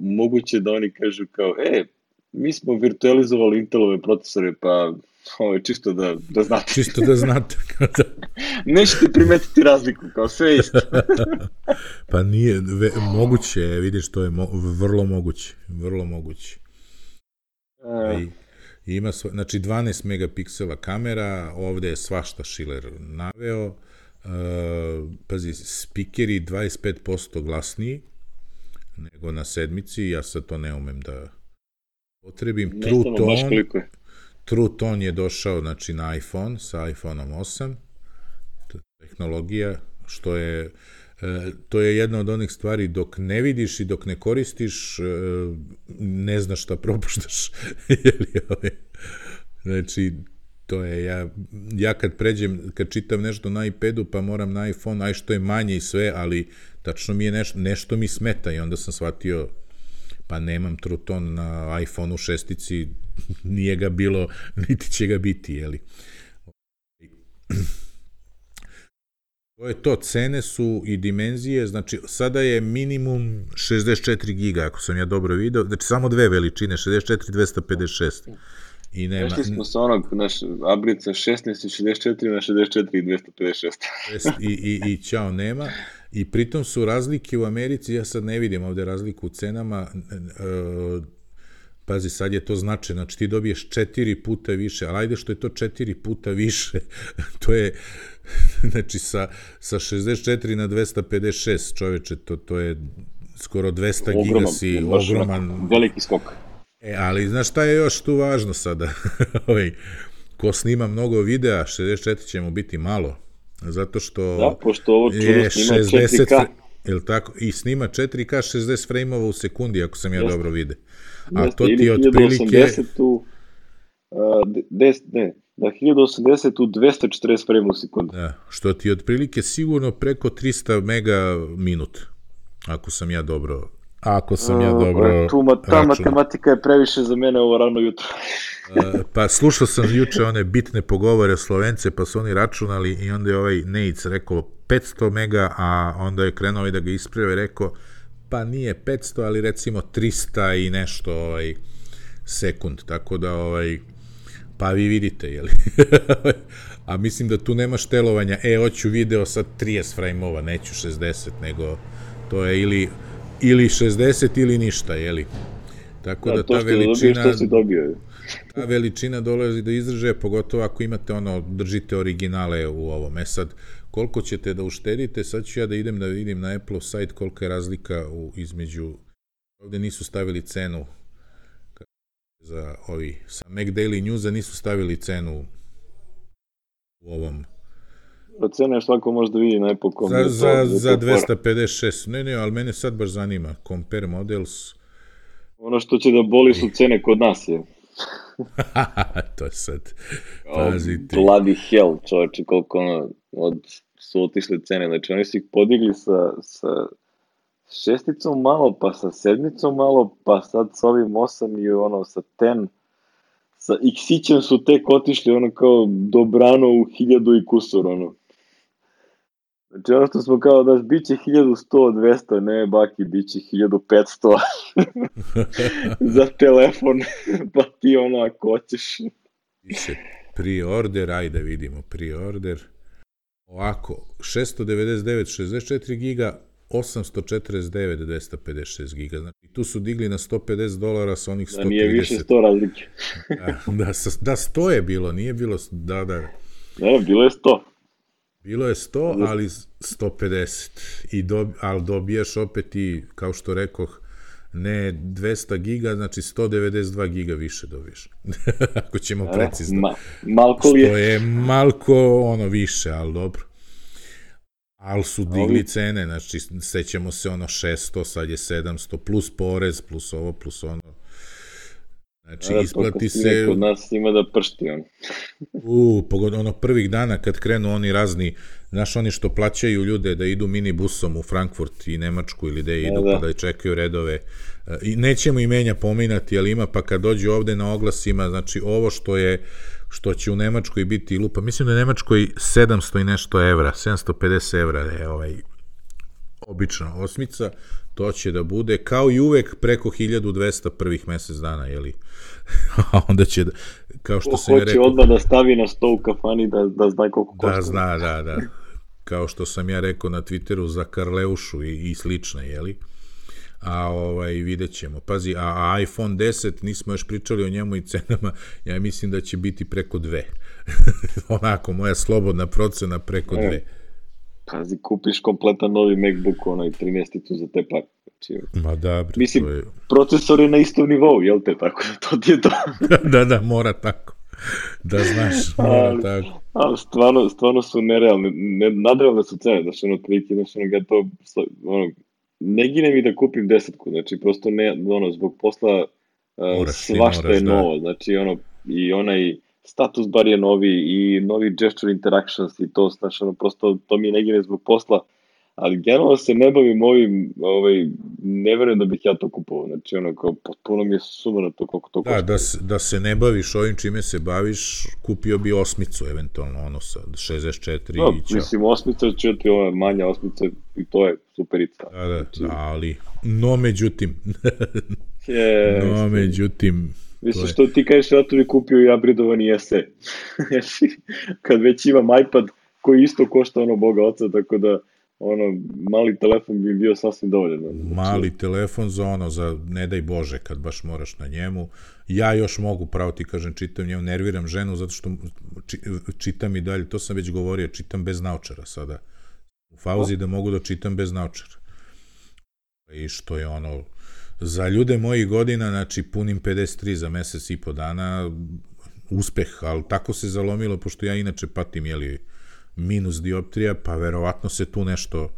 moguće da oni kažu kao, e, mi smo virtualizovali Intelove procesore, pa ovo je čisto da, da znate. Čisto da znate. Nećete primetiti razliku, kao sve isto. Pa nije, ve, moguće, vidiš, to je mo, vrlo moguće, vrlo moguće. Uh, I, ima, sva, znači dvanaest megapiksela kamera, ovde je svašta Schiller naveo, uh, pazi, spikeri dvadeset pet posto glasniji, nego na sedmici, ja sad to ne umem da potrebim. Ne True znamo baš Tone, koliko je. True Tone je došao, znači, na iPhone, sa iPhoneom osam, tehnologija, što je, e, to je jedna od onih stvari, dok ne vidiš i dok ne koristiš, e, ne znaš šta propuštaš. Znači, to je, ja, ja kad pređem, kad čitam nešto na iPadu, pa moram na iPhone, aj što je manje i sve, ali tačno mi je nešto, nešto mi smeta i onda sam shvatio, pa nemam True Tone na iPhone-u šestici, nije ga bilo, niti će ga biti, jeli. To je to, cene su i dimenzije, znači sada je minimum šezdeset četiri giga, ako sam ja dobro video, znači samo dve veličine, šezdeset četiri i dvesta pedeset šest. I nema... Vešli smo sa onog, naš abrica šesnaest i šezdeset četiri na šezdeset četiri i dvesta pedeset šest. I, i, i ćao nema. I pritom su razlike u Americi, ja sad ne vidim ovde razliku u cenama, e, pazi, sad je to značajno, znači ti dobiješ četiri puta više, ali ajde što je to četiri puta više, to je, znači sa, sa šezdeset četiri na dvesta pedeset šest, čoveče, to, to je skoro dvesta giga si, ogroman. Veliki skok. E, ali znaš šta je još tu važno sada? Ko snima mnogo videa, šezdeset četiri će mu biti malo, zato što da, pošto ovo je snima šezdeset, četiri K. Jel tako? I snima četiri K šezdeset frejmova u sekundi, ako sam ja Jeste. dobro vide. A Jeste, to ti ili je otprilike... hiljadu osamdeset u, uh, deset, ne, da, hiljadu osamdeset u dvesta četrdeset frejmova u sekundi. Da, što ti je otprilike sigurno preko trista mega minut, ako sam ja dobro... Ako sam ja dobro uh, tu, ta računao. Matematika je previše za mene ovo rano jutro. uh, pa slušao sam juče one bitne pogovore Slovence, pa su oni računali i onda je ovaj Nejc rekao petsto mega, a onda je krenuo i da ga isprave i rekao pa nije petsto, ali recimo trista i nešto ovaj, sekund, tako da ovaj, pa vi vidite, jeli? A mislim da tu nema štelovanja, e, hoću video sad trideset frejmova, neću šezdeset, nego to je ili ili šezdeset ili ništa, jeli? Tako da, da ta veličina... Dobiješ, dobio. Ta veličina dolazi do izražaja, pogotovo ako imate ono, držite originale u ovom. E sad, koliko ćete da uštedite, sad ću ja da idem da vidim na Apple sajt kolika je razlika u, između... Ovde nisu stavili cenu za ovi... Sa Mac Daily Newsa nisu stavili cenu u ovom... Cena je svako može da vidi na Apple dot com. Za, za, za dvesta pedeset šest. Ne, ne, ali mene sad baš zanima. Compare models. Ono što će da boli su cene kod nas, je. To je sad. Pazite. Bloody hell, čovječe, koliko ono, od, su otišle cene. Znači, oni su ih podigli sa, sa šesticom malo, pa sa sedmicom malo, pa sad sa ovim osam i ono sa ten. Sa X-ićem su tek otišli ono kao dobrano u hiljadu i kusur, ono. Znači ono što smo kao da bit će hiljadu sto, dvesta, ne baki, bit će hiljadu petsto za telefon, pa ti ono ako hoćeš. Piše pre-order, ajde vidimo pre-order. Ovako, šesto devedeset devet šezdeset četiri giga, osamsto četrdeset devet dvesta pedeset šest giga. Znači, tu su digli na sto pedeset dolara sa onih sto trideset. Da nije više sto razlike. da, da, da, sto je bilo, nije bilo, da, da. Da, bilo je sto. Bilo je sto, ali sto pedeset. I dob, ali dobijaš opet i, kao što rekoh, ne dvesta giga, znači sto devedeset dva giga više dobiješ. Ako ćemo precizno. Ma, malko li je. Što je malko ono više, ali dobro. Ali su digli cene, znači sećamo se ono šesto, sad je sedamsto, plus porez, plus ovo, plus ono. Znači, isplati se... Kod nas ima da pršti on. U, pogodno, ono prvih dana kad krenu oni razni, znaš, oni što plaćaju ljude da idu minibusom u Frankfurt i Nemačku ili da idu, pa da čekaju redove. I nećemo imenja pominati, ali ima, pa kad dođu ovde na oglasima, znači ovo što je, što će u Nemačkoj biti lupa, mislim da je u Nemačkoj sedamsto i nešto evra, sedamsto pedeset evra je ovaj obična osmica, to će da bude kao i uvek preko hiljadu dvesta prvih mesec dana, jeli? A onda će, da, kao što sam ja rekao... Hoće odmah da stavi na sto u kafani da, da zna koliko košta. Da, zna, da, da. Kao što sam ja rekao na Twitteru za Karleušu i, i slične, jeli? A ovaj, vidjet ćemo. Pazi, a, a iPhone deset, nismo još pričali o njemu i cenama, ja mislim da će biti preko dve. Onako, moja slobodna procena preko dve. Pazi, kupiš kompletan novi MacBook, onaj trinaesticu za te pare. Znači, Ma da, bre, mislim, to je... procesor je na istom nivou, jel te, tako da to ti je to. da, da, mora tako. Da znaš, mora ali, tako. ali stvarno, stvarno su nerealne, ne, nadrealne su cene, znači ono, prilike, znači ono, ja to, ono, ne gine mi da kupim desetku, znači prosto ne, ono, zbog posla uh, Moraš, ti svašta moraš, je da. novo, znači ono, i onaj status bar je novi, i novi gesture interactions, i to, znači ono, prosto to mi ne gine zbog posla, ali generalno se ne bavim ovim, ovaj, ne verujem da bih ja to kupovao, znači ono, kao, potpuno mi je sumano to koliko to košta. Da, da, se, da se ne baviš ovim čime se baviš, kupio bi osmicu, eventualno, ono sa šezdeset četiri No, i ćao. mislim, osmica će ti ova manja osmica i to je superica. Da, da, znači, da, ali, no međutim, je, no međutim, mislim, što ti kažeš, ja to bi kupio i upgradeovani S E. Kad već imam iPad koji isto košta ono boga oca, tako da ono, mali telefon bi bio sasvim dovoljan. Znači, mali telefon za ono, za ne daj Bože kad baš moraš na njemu. Ja još mogu, pravo ti kažem, čitam njemu, nerviram ženu zato što či, čitam i dalje, to sam već govorio, čitam bez naučara sada. U fauzi da mogu da čitam bez naučara. I što je ono, za ljude mojih godina, znači punim pedeset tri za mesec i po dana, uspeh, ali tako se zalomilo, pošto ja inače patim, jeli, minus dioptrija, pa verovatno se tu nešto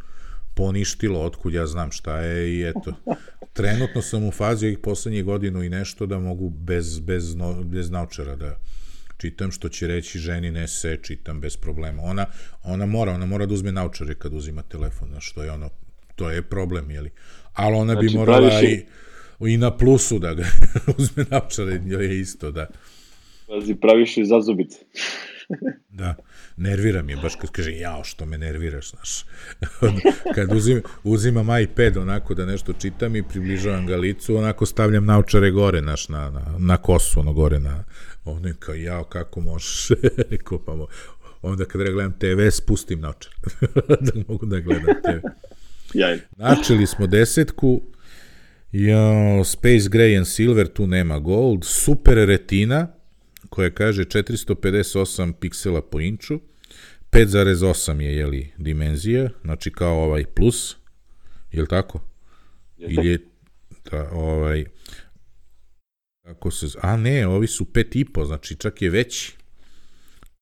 poništilo, otkud ja znam šta je i eto. Trenutno sam u fazi ovih poslednjih godinu i nešto da mogu bez, bez, no, bez naučara da čitam, što će reći ženi ne se čitam bez problema. Ona, ona mora, ona mora da uzme naučare kad uzima telefon, što je ono, to je problem, jeli. Ali ona znači, bi morala i, i na plusu da ga uzme naučare, je isto, da. Pazi, praviš i zazubice. Da, nerviram je, baš kad kaže, jao, što me nerviraš, znaš. Kad uzim, uzimam iPad onako da nešto čitam i približavam ga licu, onako stavljam naučare gore, znaš, na, na, na kosu, ono gore, na, ono je kao, jao, kako možeš, kopamo. Onda kad gledam te ve, spustim naučar, da mogu da gledam te ve. Jaj. Načeli smo desetku, jao, Space Gray and Silver, tu nema Gold, Super Retina, koja kaže četiristo pedeset osam piksela po inču, pet zarez osam je, jeli, dimenzija, znači kao ovaj plus, je li tako? Ili je, da, ovaj, kako se, a ne, ovi su pet i po, znači čak je veći.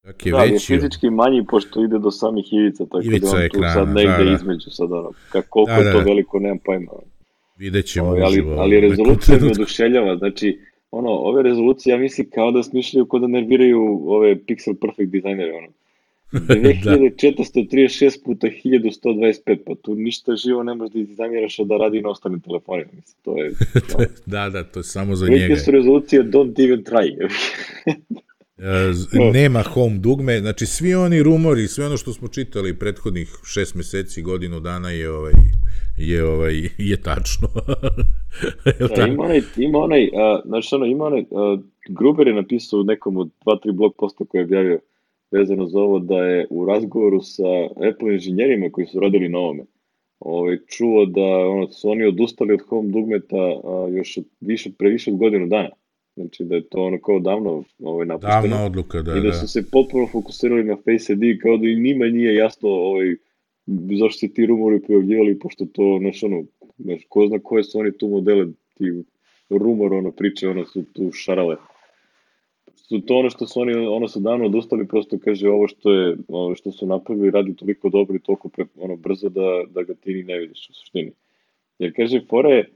Čak je da, veći. je fizički manji, pošto ide do samih ivica, tako ivica da on ekrana, tu sad negde da, da. između, sad ono, kako, koliko da, da, je to veliko, nemam pojma. Vidjet ćemo o, ali, uživo. Ali rezolucija me oduševljava, znači, ono, ove rezolucije, ja mislim, kao da smišljaju, kao da nerviraju ove Pixel Perfect dizajnere, ono. dve hiljade četiristo trideset šest puta hiljadu sto dvadeset pet, pa tu ništa živo ne možeš da dizajniraš da radi na ostalim telefonima, mislim, to je... No. da, da, to je samo za njega. Velike su rezolucije, don't even try. Nema home dugme, znači svi oni rumori, sve ono što smo čitali prethodnih šest meseci, godinu dana je ovaj... je ovaj je tačno. da, ima onaj ima onaj uh, znači ono ima onaj uh, Gruber je napisao u nekom od dva tri blog posta koji je objavio vezano za ovo da je u razgovoru sa Apple inženjerima koji su radili na ovome ovaj čuo da ono su oni odustali od home dugmeta uh, još od više previše od godinu dana. Znači da je to ono kao davno ovaj napušteno. Davna odluka, da, i da, da su se potpuno fokusirali na Face I D kao da i njima nije jasno ovaj zašto se ti rumori pojavljivali, pošto to, znaš, ono, znaš, ko zna koje su oni tu modele, ti rumor, ono, priče, ono, su tu šarale. Su to ono što su oni, ono, su davno odustali, prosto kaže, ovo što je, ono, što su napravili, radi toliko dobro i toliko, pre, ono, brzo da, da ga ti ni ne vidiš u suštini. Jer kaže, fora je,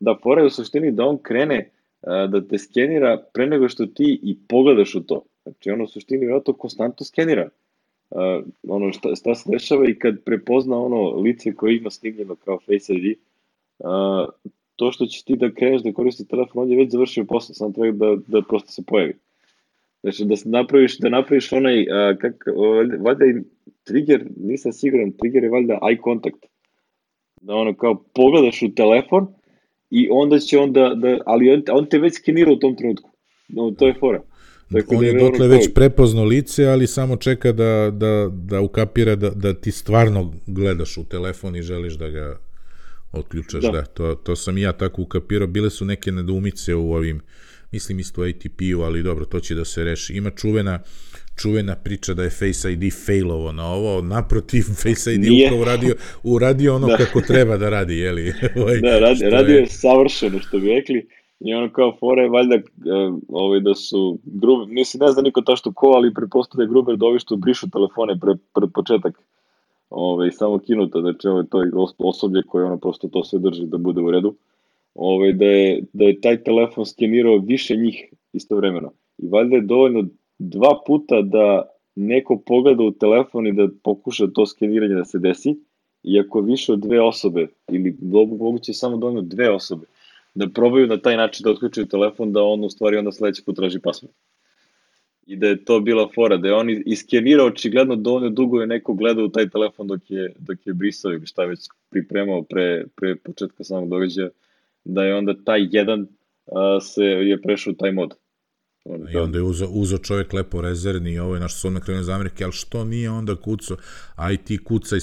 da, fora je u suštini da on krene a, da te skenira pre nego što ti i pogledaš u to. Znači, ono, u suštini, vjerojatno, konstantno skenira. Uh, ono šta, šta se dešava i kad prepozna ono lice koje ima snimljeno kao Face I D, uh, to što će ti da kreneš da koristi telefon, on je već završio posao, samo treba da, da prosto se pojavi. Znači da napraviš, da napraviš onaj, uh, kak, uh, valjda i trigger, nisam siguran, trigger je valjda eye contact. Da ono kao pogledaš u telefon i onda će on da, da ali on, on te već skenira u tom trenutku. No, to je fora. Dakle, on je dotle već prepoznao lice, ali samo čeka da, da, da ukapira da, da ti stvarno gledaš u telefon i želiš da ga otključaš. Da, da to, to sam i ja tako ukapirao. Bile su neke nedoumice u ovim, mislim isto u A T P-u, ali dobro, to će da se reši. Ima čuvena, čuvena priča da je Face I D failovo na ovo, naprotiv, Face I D Nije. upravo uradio, uradio ono da. kako treba da radi, jeli? ovaj, da, radi, radio je... je savršeno, što bi rekli, i ono kao fore, valjda, ovaj, da su, Gruber, nisi ne zna niko to što ko, ali prepostavlja je Gruber da ovi što brišu telefone pre, pred početak, ovaj, samo kinuto, znači ovo je to osoblje koje ono prosto to sve drži da bude u redu, ovaj, da, je, da je taj telefon skenirao više njih istovremeno. I valjda je dovoljno dva puta da neko pogleda u telefon i da pokuša to skeniranje da se desi, i ako više od dve osobe, ili moguće samo dovoljno dve osobe, da probaju na taj način da otključuju telefon, da on u stvari onda sledeći put traži password. I da je to bila fora, da je on iskenirao očigledno dovoljno dugo je neko gledao u taj telefon dok je, dok je brisao ili šta je već pripremao pre, pre početka samog događaja, da je onda taj jedan a, se je prešao u taj mod. I onda je uzo, uzo čovjek lepo rezervni i ovo je naš sodno krenuo iz Amerike, ali što nije onda kucao, aj ti kucaj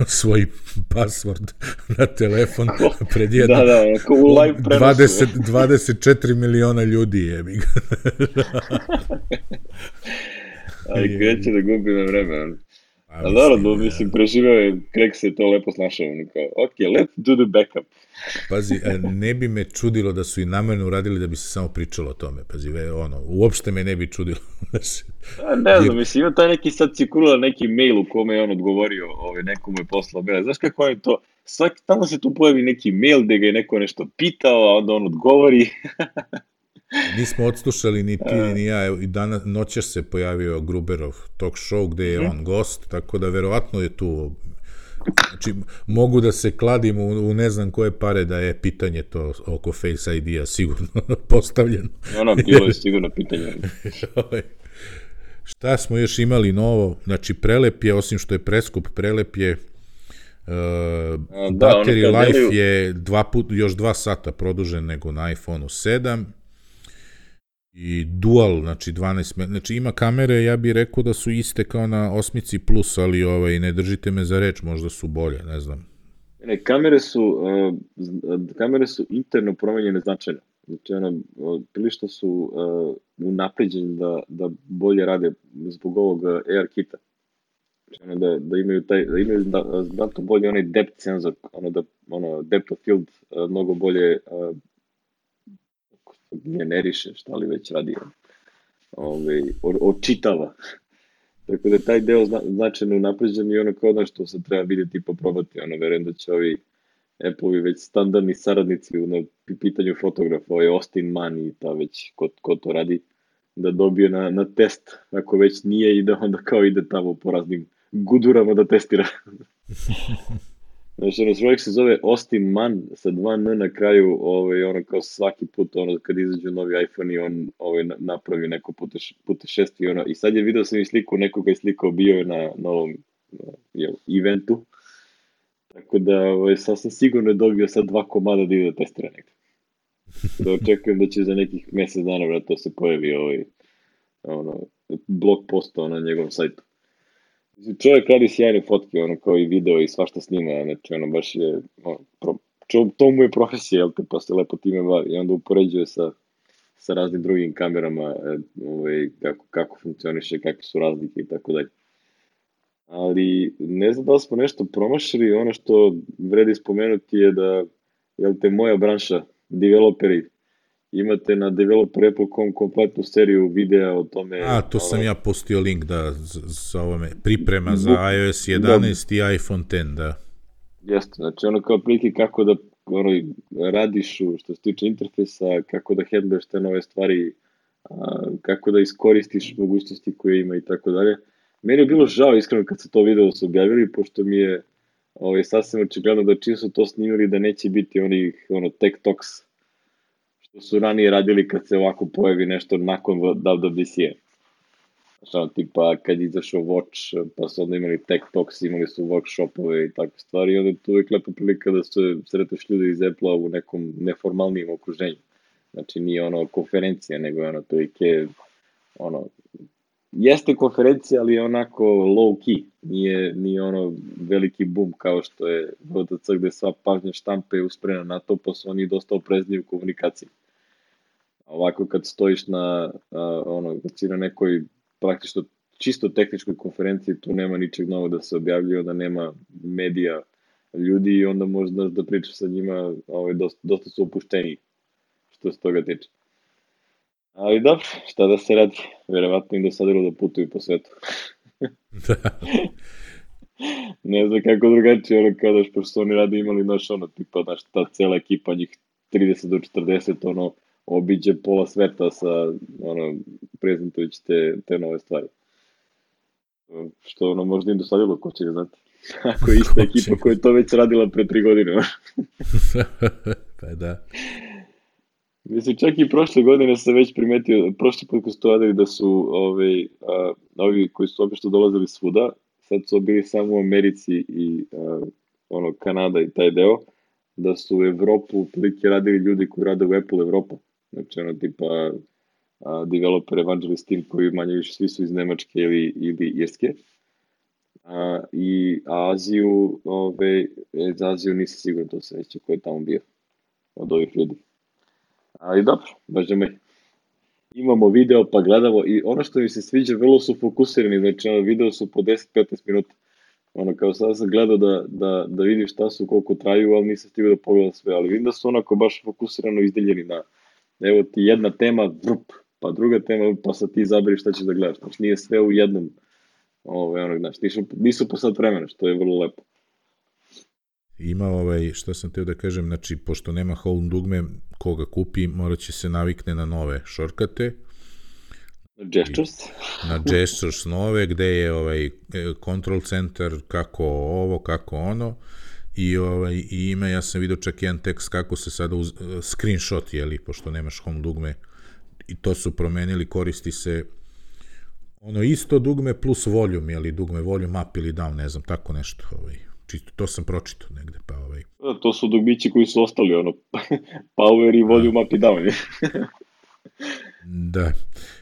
svoj password na telefon pred jedno da, da, u live prenosu. dvadeset, dvadeset četiri miliona ljudi je mi ga. Ali kreće da gubi na vreme. A naravno, mislim, preživao je, Craig se to lepo snašao, kao, ok, let's do the backup. Pazi, ne bi me čudilo da su i namerno uradili da bi se samo pričalo o tome, pazi, ono, uopšte me ne bi čudilo. Ne znam, mislim, ima taj neki sad cirkulira neki mail u kome je on odgovorio, ovaj, nekomu je poslao mail, znaš kako je to, svaki, tamo se tu pojavi neki mail gde ga je neko nešto pitao, a onda on odgovori. Nismo odslušali ni ti ni ja, i danas noćas se pojavio Gruberov talk show gde je on gost, tako da verovatno je tu, znači mogu da se kladim u, u ne znam koje pare da je pitanje to oko Face I D-a sigurno postavljeno. Ono, bilo je sigurno pitanje. Šta smo još imali novo? Znači Prelep je, osim što je preskup, Prelep je Uh, da, battery life deliju... je dva put, još dva sata produžen nego na iPhone sedam i dual, znači dvanaest, znači ima kamere, ja bih rekao da su iste kao na osmici plus, ali ovaj, ne držite me za reč, možda su bolje, ne znam. Ne, kamere su, uh, kamere su interno promenjene značajno. Znači, ono, prilično su uh, unapređeni da, da bolje rade zbog ovog AR-kita. Ono da, da imaju taj, da imaju da, znatno bolje onaj depth senzor, ono da, ono, depth of field uh, mnogo bolje uh, generiše, šta li već radi, ovaj, očitava. Tako da taj deo zna, značajno unapređen i ono kao ono što se treba vidjeti i poprobati, ono, verujem da će ovi Apple-ovi već standardni saradnici na pitanju fotografa, ovaj Austin Mann i ta već ko, ko to radi, da dobije na, na test, ako već nije i da onda kao ide tamo po raznim gudurama da testira. Znači, ono, čovjek se zove Austin Mann sa dva N na kraju, ovaj, ono kao svaki put, ono, kad izađu novi iPhone i on ovaj, napravi neko puteš, putešesti, ono, i sad je video sam i sliku, nekoga je slikao, bio je na, na ovom jel, eventu, tako da ovaj, sasvim sigurno je dobio sad dva komada da ide da testira nekako. Da očekujem da će za nekih mjesec dana vratno se pojavi ovaj, ono, blog posta na njegovom sajtu. Čovjek radi sjajne fotke, ono, kao i video i svašta snima, znači ono baš je, ono, pro, čo, to mu je profesija, jel te, pa se lepo time bavi i onda upoređuje sa, sa raznim drugim kamerama, ovaj, kako, kako funkcioniše, kakve su razlike i tako dalje. Ali ne znam da li smo nešto promašili, ono što vredi spomenuti je da, jel te, moja branša, developeri, imate na developer apple dot com kompletnu seriju videa o tome. A, to sam ja postio link da sa ovome priprema za iOS jedanaest da, i iPhone deset, da. Jeste, znači ono kao prilike kako da ono, radiš što se tiče interfejsa, kako da handluješ te nove stvari, a, kako da iskoristiš mogućnosti koje ima i tako dalje. Meni je bilo žao iskreno kad se to video su objavili, pošto mi je ovaj, sasvim očigledno da čim su to snimili da neće biti onih ono, tech talks što su ranije radili kad se ovako pojavi nešto nakon W W D C-a. Znači, tipa kad izašao Watch, pa su onda imali tech talks, imali su workshopove i takve stvari, i onda je tu uvijek lepa prilika da se sreteš ljudi iz Apple-a u nekom neformalnijem okruženju. Znači, nije ono konferencija, nego je ono prilike, ono, jeste konferencija, ali je onako low key, nije, nije ono veliki boom kao što je W W D C gde sva pažnja štampe je usprena na to, pa su oni dosta oprezni u komunikaciji. Ovako kad stojiš na, a, ono, kad si na nekoj praktično čisto tehničkoj konferenciji, tu nema ničeg novog da se objavljuje, da nema medija ljudi i onda možda da pričaš sa njima, ovaj, dosta, dosta su opušteni što se toga tiče. Ali dobro, šta da se radi, verovatno im dosadilo da putuju po svetu. Da. Ne znam kako drugačije, ono kao daš, pošto su oni radi imali, znaš, ono, tipa, znaš, ta cela ekipa, njih trideset do četrdeset, ono, obiđe pola sveta sa, ono, prezentujući te, te nove stvari. Što, ono, možda im dosadilo, ko će ga znati. Ako je ista ekipa koja je to već radila pre tri godine. Pa da. Mislim, čak i prošle godine sam već primetio, prošli put koji su to radili da su ovi, a, ovi koji su obično dolazili svuda, sad su bili samo u Americi i a, ono, Kanada i taj deo, da su u Evropu prilike radili ljudi koji rade u Apple Evropa. Znači, ono, tipa a, developer evangelist team koji manje više svi su iz Nemačke ili, ili Irske. A, I Aziju, ove, za Aziju nisam siguran, to se neće ko je tamo bio od ovih ljudi. Ali dobro, baš me. Imamo video pa gledamo i ono što mi se sviđa, vrlo su fokusirani, znači ono, video su po deset do petnaest minuta. Ono, kao sad sam gledao da, da, da vidim šta su, koliko traju, ali nisam stigao da pogledam sve, ali vidim da su onako baš fokusirano izdeljeni na, evo ti jedna tema, vrup, pa druga tema, pa sad ti zaberi šta ćeš da gledaš, znači nije sve u jednom, ovaj, ono, znači, nisu, nisu po sat vremena, što je vrlo lepo. Ima ovaj, što sam teo da kažem, znači, pošto nema home dugme, koga kupi, morat će se navikne na nove shortcute. Na gestures. Na gestures nove, gde je ovaj control center, kako ovo, kako ono. I, ovaj, i ima, ja sam vidio čak jedan tekst kako se sada uz, screenshot, jeli, pošto nemaš home dugme. I to su promenili, koristi se ono isto dugme plus volume, jeli, dugme volume up ili down, ne znam, tako nešto, ovaj. Čisto, to sam pročitao negde, pa ovaj... To su dugmići koji su ostali, ono, power i volume up i down. Da,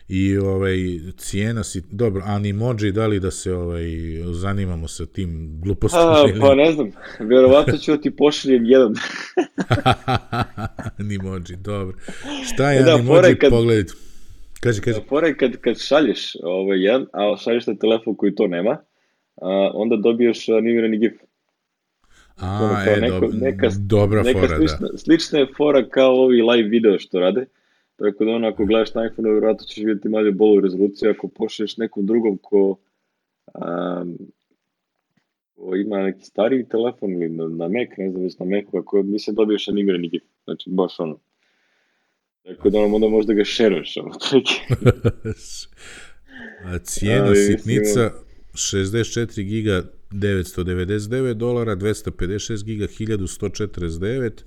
i ovaj, cijena si, dobro, Animoji, da li da se ovaj, zanimamo sa tim glupostima? A, pa ne znam, verovatno ću ti pošaljem jedan. Animoji, dobro. Šta je da, Animoji, kad... pogledajte. Kaži, kaži. Da, fora je kad, kad šalješ ovaj, jedan, a šalješ na telefon koji to nema, a, onda dobiješ animirani gif. A, je, neko, dob neka, dobra neka fora, slična, da. Slična je fora kao ovi live video što rade, tako da ono, ako gledaš na iPhone, vjerojatno ćeš vidjeti malo bolju rezoluciju, ako pošlješ nekom drugom ko, um, ko ima neki stariji telefon ili na, na Mac, ne znam već na Macu, ako mislim dobiješ animirani gif, znači baš ono. Tako da ono, onda možda ga šeruješ, ono, A cijena A, sitnica, šezdeset četiri giga devetsto devedeset devet dolara, dvesta pedeset šest giga hiljadu sto četrdeset devet,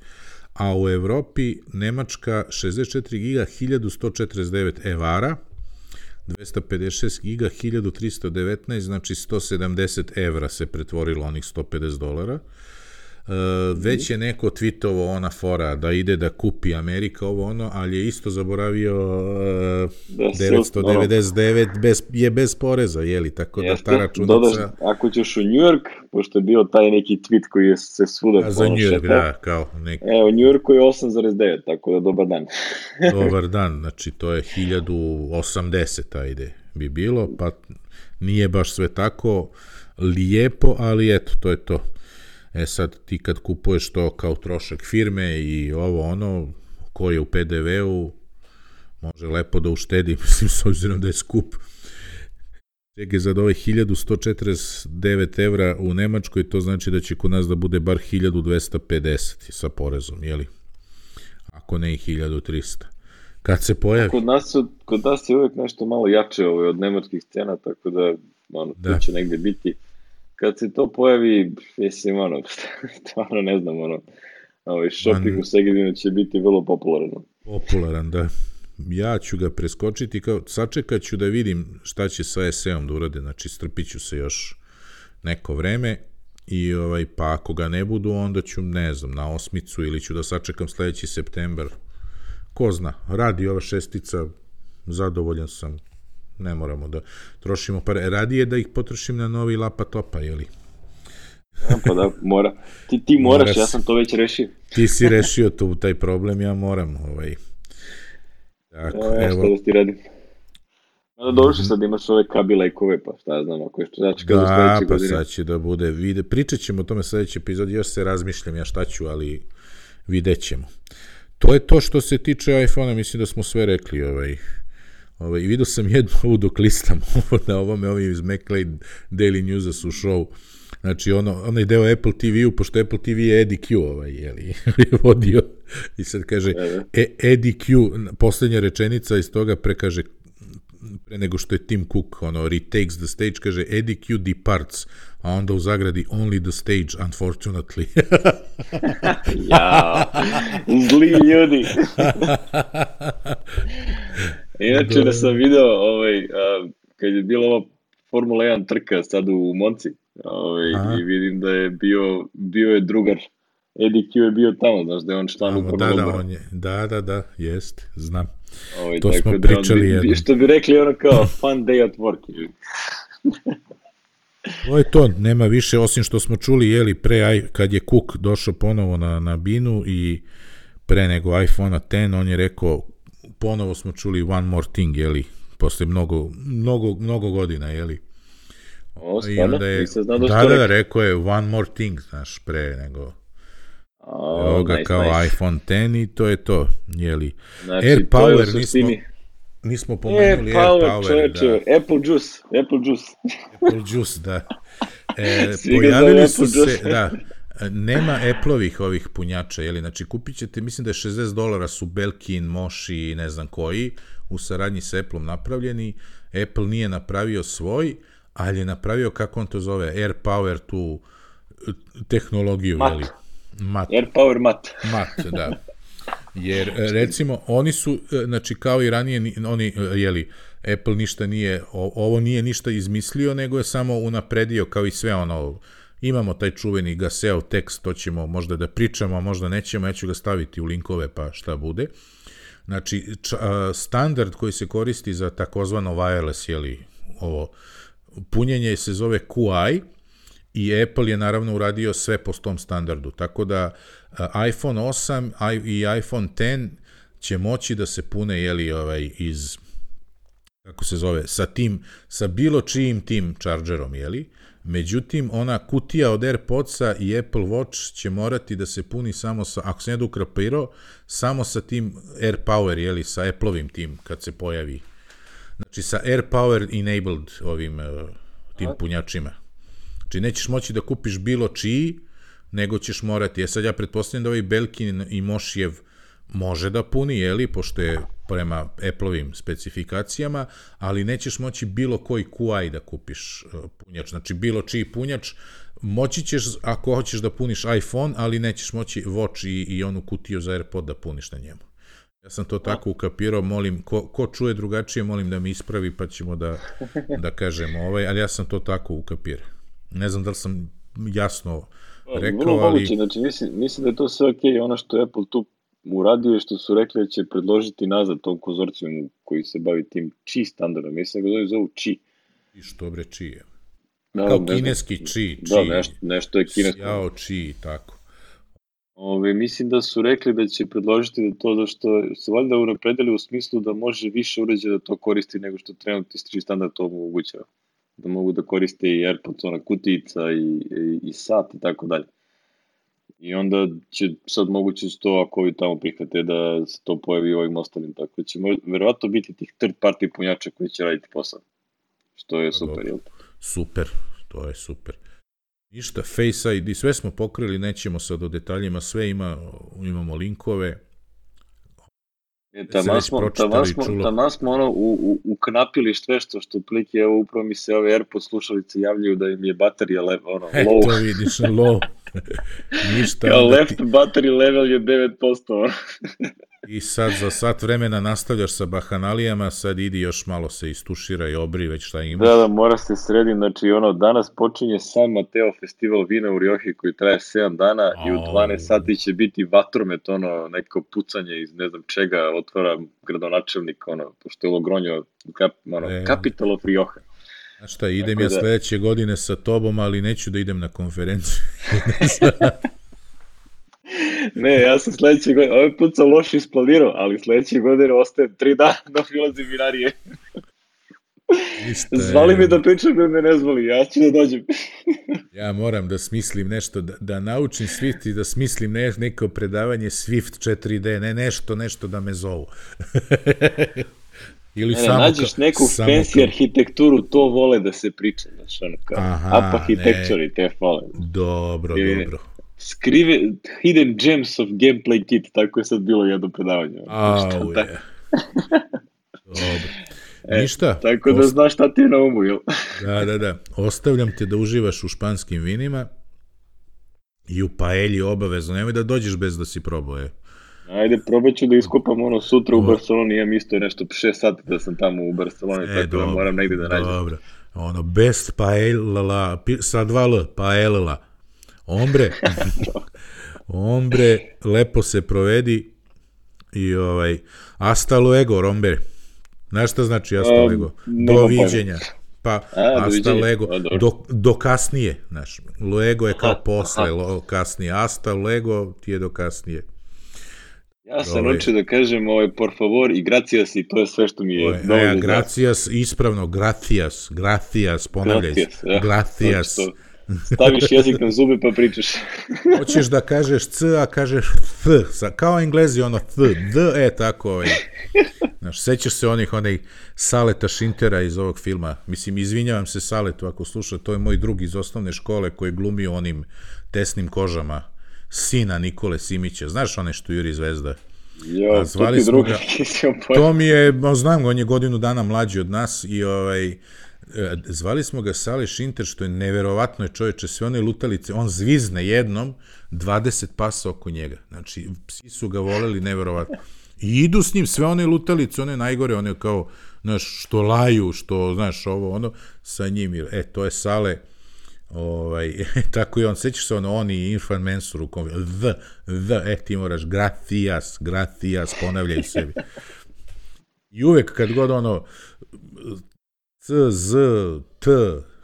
a u Evropi Nemačka šezdeset četiri giga hiljadu sto četrdeset devet evara, dvesta pedeset šest giga hiljadu tristo devetnaest, znači sto sedamdeset evra se pretvorilo onih sto pedeset dolara. Uh, već je neko tweetovo ona fora da ide da kupi Amerika ovo ono, ali je isto zaboravio uh, devetsto devedeset devet bez, je bez poreza, jeli, tako da ta računica... Dodaš, ako ćeš u New York, pošto je bio taj neki tweet koji je se svuda... A za New York, da, kao neki... Evo, u New Yorku je osam zarez devet, tako da dobar dan. Dobar dan, znači to je hiljadu osamdeset, ajde, bi bilo, pa nije baš sve tako lijepo, ali eto, to je to. E sad, ti kad kupuješ to kao trošak firme i ovo ono, ko je u pe de veu, može lepo da uštedi, mislim, s obzirom da je skup. Čekaj, za ove hiljadu sto četrdeset devet evra u Nemačkoj, to znači da će kod nas da bude bar hiljadu dvesta pedeset sa porezom, jeli? Ako ne i hiljadu trista. Kad se pojavi... Kod nas, su, kod nas je uvijek nešto malo jače ovaj, od nemačkih cena, tako da, ono, da. To će negde biti... Kad se to pojavi, mislim, ono, stvarno ne znam, ono, ovaj, shopping Man, u Segedinu će biti vrlo popularan. Popularan, da. Ja ću ga preskočiti, kao, sačekat ću da vidim šta će sa es e-om da urade, znači strpit ću se još neko vreme i, ovaj, pa ako ga ne budu, onda ću, ne znam, na osmicu ili ću da sačekam sledeći septembar. Ko zna, radi ova šestica, zadovoljan sam. Ne moramo da trošimo pare. Radije da ih potrošim na novi lapa topa, jeli? Ja, pa da, mora. Ti, ti moraš, Moras, ja sam to već rešio. Ti si rešio tu, taj problem, ja moram. Ovaj. Tako, ja, evo. Što da ti radim? Da došli sad imaš ove kabilejkove, pa šta ja znam, ako je što znači kada Da, sledeće pa godine. sad će da bude, vide, pričat ćemo o tome sledeći epizod, još se razmišljam ja šta ću, ali vidjet ćemo. To je to što se tiče iPhone-a, mislim da smo sve rekli, ovaj, ovaj, vidio sam jednu ovu dok listam ovo na ovome, ovi iz MacLeod Daily Newsa su show, znači ono, onaj deo Apple T V-u, pošto Apple T V je Eddie Q, ovaj, jeli, vodio, i sad kaže, e, Eddie Q, poslednja rečenica iz toga prekaže, pre nego što je Tim Cook, ono, retakes the stage, kaže, Eddie Q departs, a onda u zagradi, only the stage, unfortunately. Ja, zli ljudi. Inače da sam video, ovaj, a, kad je bila ova Formula jedan trka sad u Monci, ovaj, i vidim da je bio, bio je drugar, Eddie Q je bio tamo, znaš da je on član upravnog da, da, odbora. on je, da, da, da, jest, znam. Ovaj, to smo da pričali bi, jednom. Što bi rekli ono kao fun day at work. To je to, nema više, osim što smo čuli, jeli, pre, kad je Cook došao ponovo na, na binu i pre nego iPhone deset, on je rekao, ponovo smo čuli one more thing, jeli, posle mnogo, mnogo, mnogo godina, jeli. O, stvarno? Nisam znao da što da, rekao. Da, rekao je one more thing, znaš, pre nego... Oh, Evo ga nice, kao nice. iPhone deset i to je to, jeli. Znači, Air to je u Power, suštini... nismo, nismo pomenuli Air Air Power, Power, čoveče, da. Apple Juice, Apple Juice. Apple Juice, da. E, Svi ga pojavili zove su Apple se, Juice. da, nema Apple-ovih ovih punjača, jeli, znači kupit ćete, mislim da je šezdeset dolara su Belkin, Moshi i ne znam koji, u saradnji sa Apple-om napravljeni. Apple nije napravio svoj, ali je napravio, kako on to zove, Air Power, tu tehnologiju, Mat. jeli. Mat. Air Power mat. Mat, da. Jer, recimo, oni su, znači, kao i ranije, oni, jeli, Apple ništa nije, ovo nije ništa izmislio, nego je samo unapredio, kao i sve ono, imamo taj čuveni Gaseo tekst, to ćemo možda da pričamo, možda nećemo, ja ću ga staviti u linkove, pa šta bude. Znači, standard koji se koristi za takozvano wireless, jeli, ovo, punjenje se zove Q I, i Apple je naravno uradio sve po tom standardu, tako da iPhone osam i iPhone deset će moći da se pune, jeli, ovaj, iz, kako se zove, sa tim, sa bilo čijim tim chargerom, jeli, međutim, ona kutija od AirPodsa i Apple Watch će morati da se puni samo sa, ako se ne ukrapirao, samo sa tim Air Power, jeli, sa Apple-ovim tim, kad se pojavi, znači sa Air Power enabled ovim tim punjačima. Znači, nećeš moći da kupiš bilo čiji, nego ćeš morati. Ja sad ja pretpostavljam da ovaj Belkin i Mošijev može da puni, jeli, pošto je prema Apple-ovim specifikacijama, ali nećeš moći bilo koji Q I da kupiš punjač. Znači, bilo čiji punjač, moći ćeš, ako hoćeš da puniš iPhone, ali nećeš moći Watch i, i onu kutiju za AirPod da puniš na njemu. Ja sam to tako ukapirao, molim, ko, ko čuje drugačije, molim da mi ispravi, pa ćemo da, da kažemo ovaj, ali ja sam to tako ukapirao. Ne znam da li sam jasno rekao, Vrlo ali... moguće, znači mislim, mislim da je to sve okej, ono što je Apple tu uradio je što su rekli da će predložiti nazad tom konzorcijumu koji se bavi tim Qi standardom, mislim da ga zove zovu Qi. I što bre Qi je? Da, Kao nešto, kineski Qi, da, Qi, nešto, nešto je kinesko. Xiao Qi, tako. Ove, mislim da su rekli da će predložiti da to da što se valjda unapredili u smislu da može više uređaja da to koristi nego što trenutni Qi standard to omogućava. Da mogu da koriste i AirPods, ona kutijica i, i, i sat i tako dalje. I onda će sad moguće to ako ovi tamo prihvate da se to pojavi u ovim ostalim, tako da će možda, verovatno biti tih third party punjača koji će raditi posao. Što je super, jel? Super, to je super. Ništa, Face I D, sve smo pokrili, nećemo sad o detaljima, sve ima, imamo linkove. E, taman smo, taman smo, taman smo ono u, u, uknapili sve što, što plike, evo upravo mi se ove AirPods slušalice javljaju da im je baterija le, ono, e, low. To vidiš, low. Ništa. Kao left ti... battery level je devet posto. I sad za sat vremena nastavljaš sa bahanalijama, sad idi još malo se istušira i obri već šta imaš. Da, da, mora se sredim, znači ono, danas počinje San Mateo festival vina u Rioji koji traje sedam dana oh. i u dvanaest sati će biti vatromet, ono, neko pucanje iz ne znam čega, otvara gradonačelnik, ono, pošto je Logronjo, kap, ono, e. Capital of Rioja. Znaš šta, idem ja da... sledeće godine sa tobom, ali neću da idem na konferenciju. Ne, ja sam sledeće godine, ovaj put sam loše isplanirao, ali sledeće godine ostajem tri dana da ulazim vinarije. Zvali me da pričam da me ne zvali, ja ću da dođem. Ja moram da smislim nešto, da, da naučim Swift i da smislim ne, neko predavanje Swift četiri D, ne nešto, nešto da me zovu. Ili ne, samo nađeš ka, neku samo fancy ka... arhitектuru, to vole da se priča, znaš, ono kao, Aha, up architecture i te fole. Dobro, I, dobro. Skrive, hidden gems of gameplay kit, tako je sad bilo jedno predavanje. Au je. Dobro. E, Ništa. Tako da znaš šta ti je na umu, jel? Da, da, da. Ostavljam te da uživaš u španskim vinima i u paelji obavezno. Nemoj da dođeš bez da si probao, je. Ajde, probat ću da iskupam ono sutra u Barceloni, imam isto nešto šest sati da sam tamo u Barceloni, e, tako dobro, da moram negdje da nađem. Dobro, ono, best paella, sa dva L, paella. Ombre, ombre, lepo se provedi i ovaj, hasta luego, rombe. Znaš šta znači hasta um, luego? Doviđenja. Pa, A, hasta luego, do, do kasnije, znaš. Luego je kao aha, posle, lo, kasnije. Hasta luego ti je do kasnije. Ja sam naučio da kažem ovaj, por favor i gracias i to je sve što mi je dovoljno. Ja, gracias, ispravno, gracias, gracias, ponavljaj se. Ja, gracias. Staviš jezik na zube pa pričaš. Hoćeš da kažeš c, a kažeš th. Kao Englezi ono th, d, e, tako. Ovaj. Znaš, sećaš se onih, onih Saleta Šintera iz ovog filma. Mislim, izvinjavam se Saletu ako sluša, to je moj drug iz osnovne škole koji je glumio onim tesnim kožama. Sina Nikole Simića. Znaš one što Juri Zvezda? Jo, zvali smo ga. To mi je, znam ga, on je godinu dana mlađi od nas i ovaj, zvali smo ga Sale Šinter, što je neverovatno je čovječe, sve one lutalice, on zvizne jednom, dvadeset pasa oko njega. Znači, psi su ga voleli neverovatno. I idu s njim sve one lutalice, one najgore, one kao, znaš, što laju, što, znaš, ovo, ono, sa njim. E, to je Sale. Ovaj, tako i on, sećaš se ono, on i Irfan Mensur u kom, the, the, e, ti moraš, gracias, gracias, ponavljaju sebi. I uvek kad god ono, c, z, t,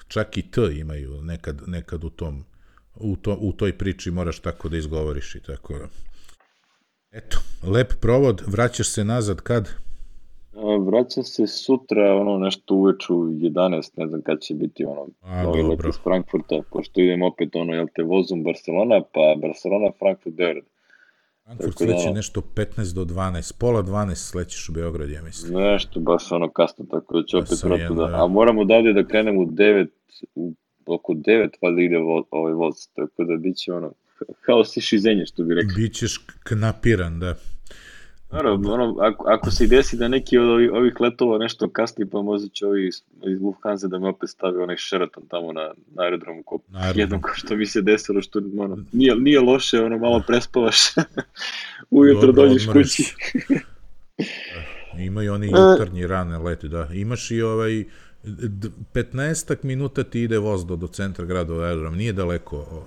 čak i t imaju nekad, nekad u tom, u, to, u toj priči moraš tako da izgovoriš i tako. Eto, lep provod, vraćaš se nazad kad? Vraćam se sutra, ono, nešto uveče u jedanaest, ne znam kad će biti, ono, novi let iz Frankfurta, pošto idem opet, ono, jel te, vozom Barcelona, pa Barcelona, Frankfurt, Beograd. Frankfurt sleće da, nešto petnaest do dvanaest, pola dvanaest slećeš u Beograd, ja mislim. Nešto, baš ono kasno, tako da ću opet vratu da, a moram odavde da krenem u devet, u, oko devet, pa da ide vo, ovaj voz, tako da bit će, ono, haos i šizenje, što bi rekli. Bićeš knapiran, da. Naravno, ono, ako, ako se desi da neki od ovih, ovih letova nešto kasni, pa možda će ovi iz, iz Lufthansa da me opet stavi onaj Sheraton tamo na, na aerodromu, ko, jednom ko što mi se desilo, što ono, nije, nije loše, ono, malo prespavaš, ujutro dođeš kući. Imaju oni jutarnji rane leti, da. Imaš i ovaj, petnaestak minuta ti ide voz do, do centra grada od aerodroma, nije daleko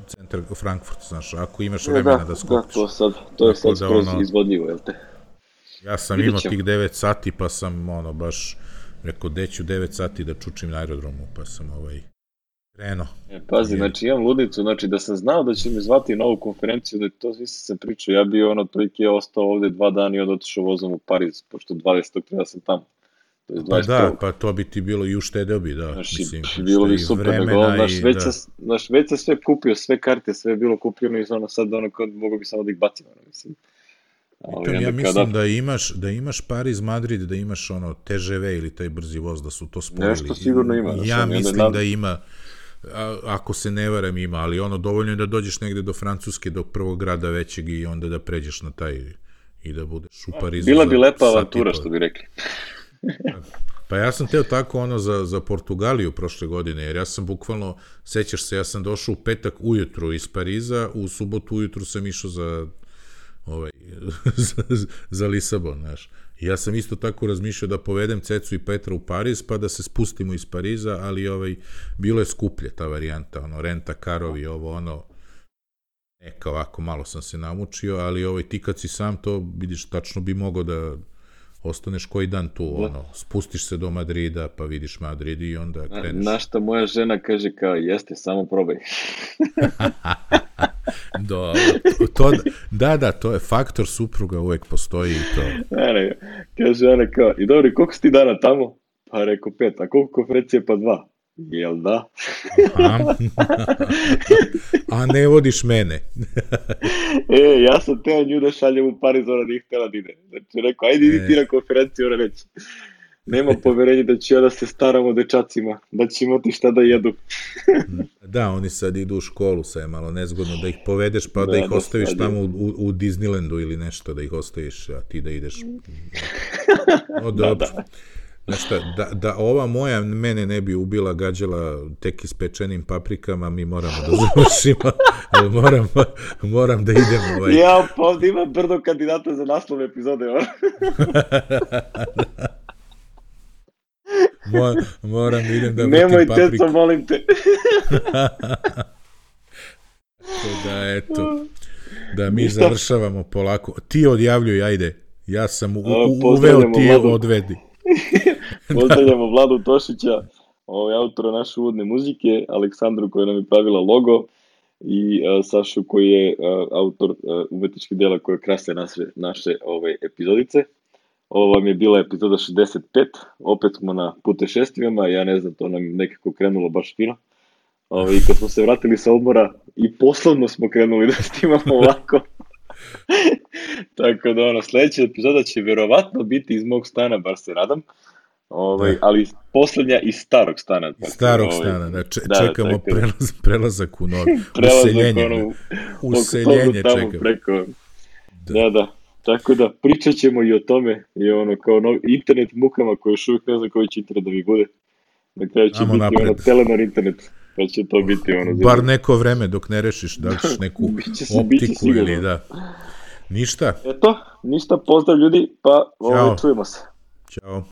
centar Frankfurt, znaš, ako imaš vremena da, da skočiš. Da, to, sad, to je sad skroz ono, izvodljivo, jel te? Ja sam imao tih devet sati, pa sam, ono, baš rekao, deću devet sati da čučim na aerodromu, pa sam, ovaj, krenuo. E, pazi, znači, imam ludnicu, znači, da sam znao da će mi zvati na ovu konferenciju, da to svi sam pričao, ja bi, ono, toliki je ostao ovde dva dana i onda otišao vozom u Pariz, pošto dvadesetog ja sam tamo. Pa da, pa to bi ti bilo i uštedeo bi, da. Znaš, mislim, bilo bi super, nego, znaš, već, da. Znaš, već sam sve kupio, sve karte, sve je bilo kupljeno i ono sad, ono, mogu bi samo da ih bacim, ono, mislim. Pitam, ja mislim kada... da imaš, da imaš Pariz, Madrid, da imaš ono T G V ili taj brzi voz, da su to spojili. Nešto sigurno ima. Ja sam, mislim da, da ima, a, ako se ne varam ima, ali ono, dovoljno je da dođeš negde do Francuske, do prvog grada većeg i onda da pređeš na taj i da budeš u Parizu. Bila bi lepa avantura, što bi rekli. Pa ja sam teo tako ono za, za Portugaliju prošle godine, jer ja sam bukvalno, sećaš se, ja sam došao u petak ujutru iz Pariza, u subotu ujutru sam išao za, ovaj, za, za Lisabon, znaš. I ja sam isto tako razmišljao da povedem Cecu i Petra u Pariz, pa da se spustimo iz Pariza, ali ovaj, bilo je skuplje ta varijanta, ono, renta karovi, ovo, ono, neka ovako, malo sam se namučio, ali ovaj, ti kad si sam to, vidiš, tačno bi mogao da ostaneš koji dan tu, ono, spustiš se do Madrida, pa vidiš Madrid i onda kreneš. Na šta moja žena kaže kao, jeste, samo probaj. Do, to, to, da, da, to je faktor supruga, uvek postoji i to. Ne, ne, kaže ona kao, i dobro, koliko si ti dana tamo? Pa rekao pet, a koliko konferencije? Pa dva. Jel da? Aha. A ne vodiš mene. E, ja sam teo nju da šaljem u Pariz, ona nije htjela da ide. Znači, rekao, ajde idi ti na konferenciju, ona reći. Nema poverenja da ću ja da se staram o dečacima, da će imati šta da jedu. Da, oni sad idu u školu, sad je malo nezgodno da ih povedeš, pa da, Da, ih da, ostaviš sad je. tamo u, u Disneylandu ili nešto, da ih ostaviš, a ti da ideš. O, Da, dobro. da. Znaš šta, da, da ova moja mene ne bi ubila gađala tek ispečenim paprikama, mi moramo da završimo, ali moram, moram da idem ovaj. Ja, pa ovdje ima brdo kandidata za naslov epizode, ono. Mo, moram da idem da vrtim Nemoj, paprike. teco, molim te. Tako da, eto, da mi Ništa. završavamo polako. Ti odjavljuj, ajde. Ja sam u, A, u, uveo, pozdravljamo ti Vladu. odvedi. Pozdravljamo Vladu Tošića, ovaj, autora naše uvodne muzike, Aleksandru koja nam je pravila logo i uh, Sašu koji je uh, autor uh, umetničkih dela koje krase naše, naše ove epizodice. Ovo vam je bila epizoda šezdeset pet, opet smo na putešestvijama, ja ne znam, to nam nekako krenulo baš fino. Ove, I kad smo se vratili sa odmora i poslovno smo krenuli da snimamo ovako. Tako da ono, sljedeća epizoda će vjerovatno biti iz mog stana, bar se nadam. Ovaj, Da. ali posljednja iz starog stana. Iz Tako, starog ovaj, stana, da, če, da, čekamo tako da. prelaz, prelazak u novi. Prelazak, Useljenje. ono, Useljenje tamo čekamo. preko. Da. Da, da. Tako da pričat ćemo i o tome, i ono, kao novi internet mukama koje još uvijek ne znam koji će internet da mi bude. Na kraju će Amo biti napred. ono Telenor internet, pa će to biti ono. Bar neko vreme dok ne rešiš da li ćeš neku Biće se- biće optiku sigurno. ili da. Ništa. Eto, ništa, pozdrav ljudi, pa ovaj, Ćao. čujemo se. Ćao.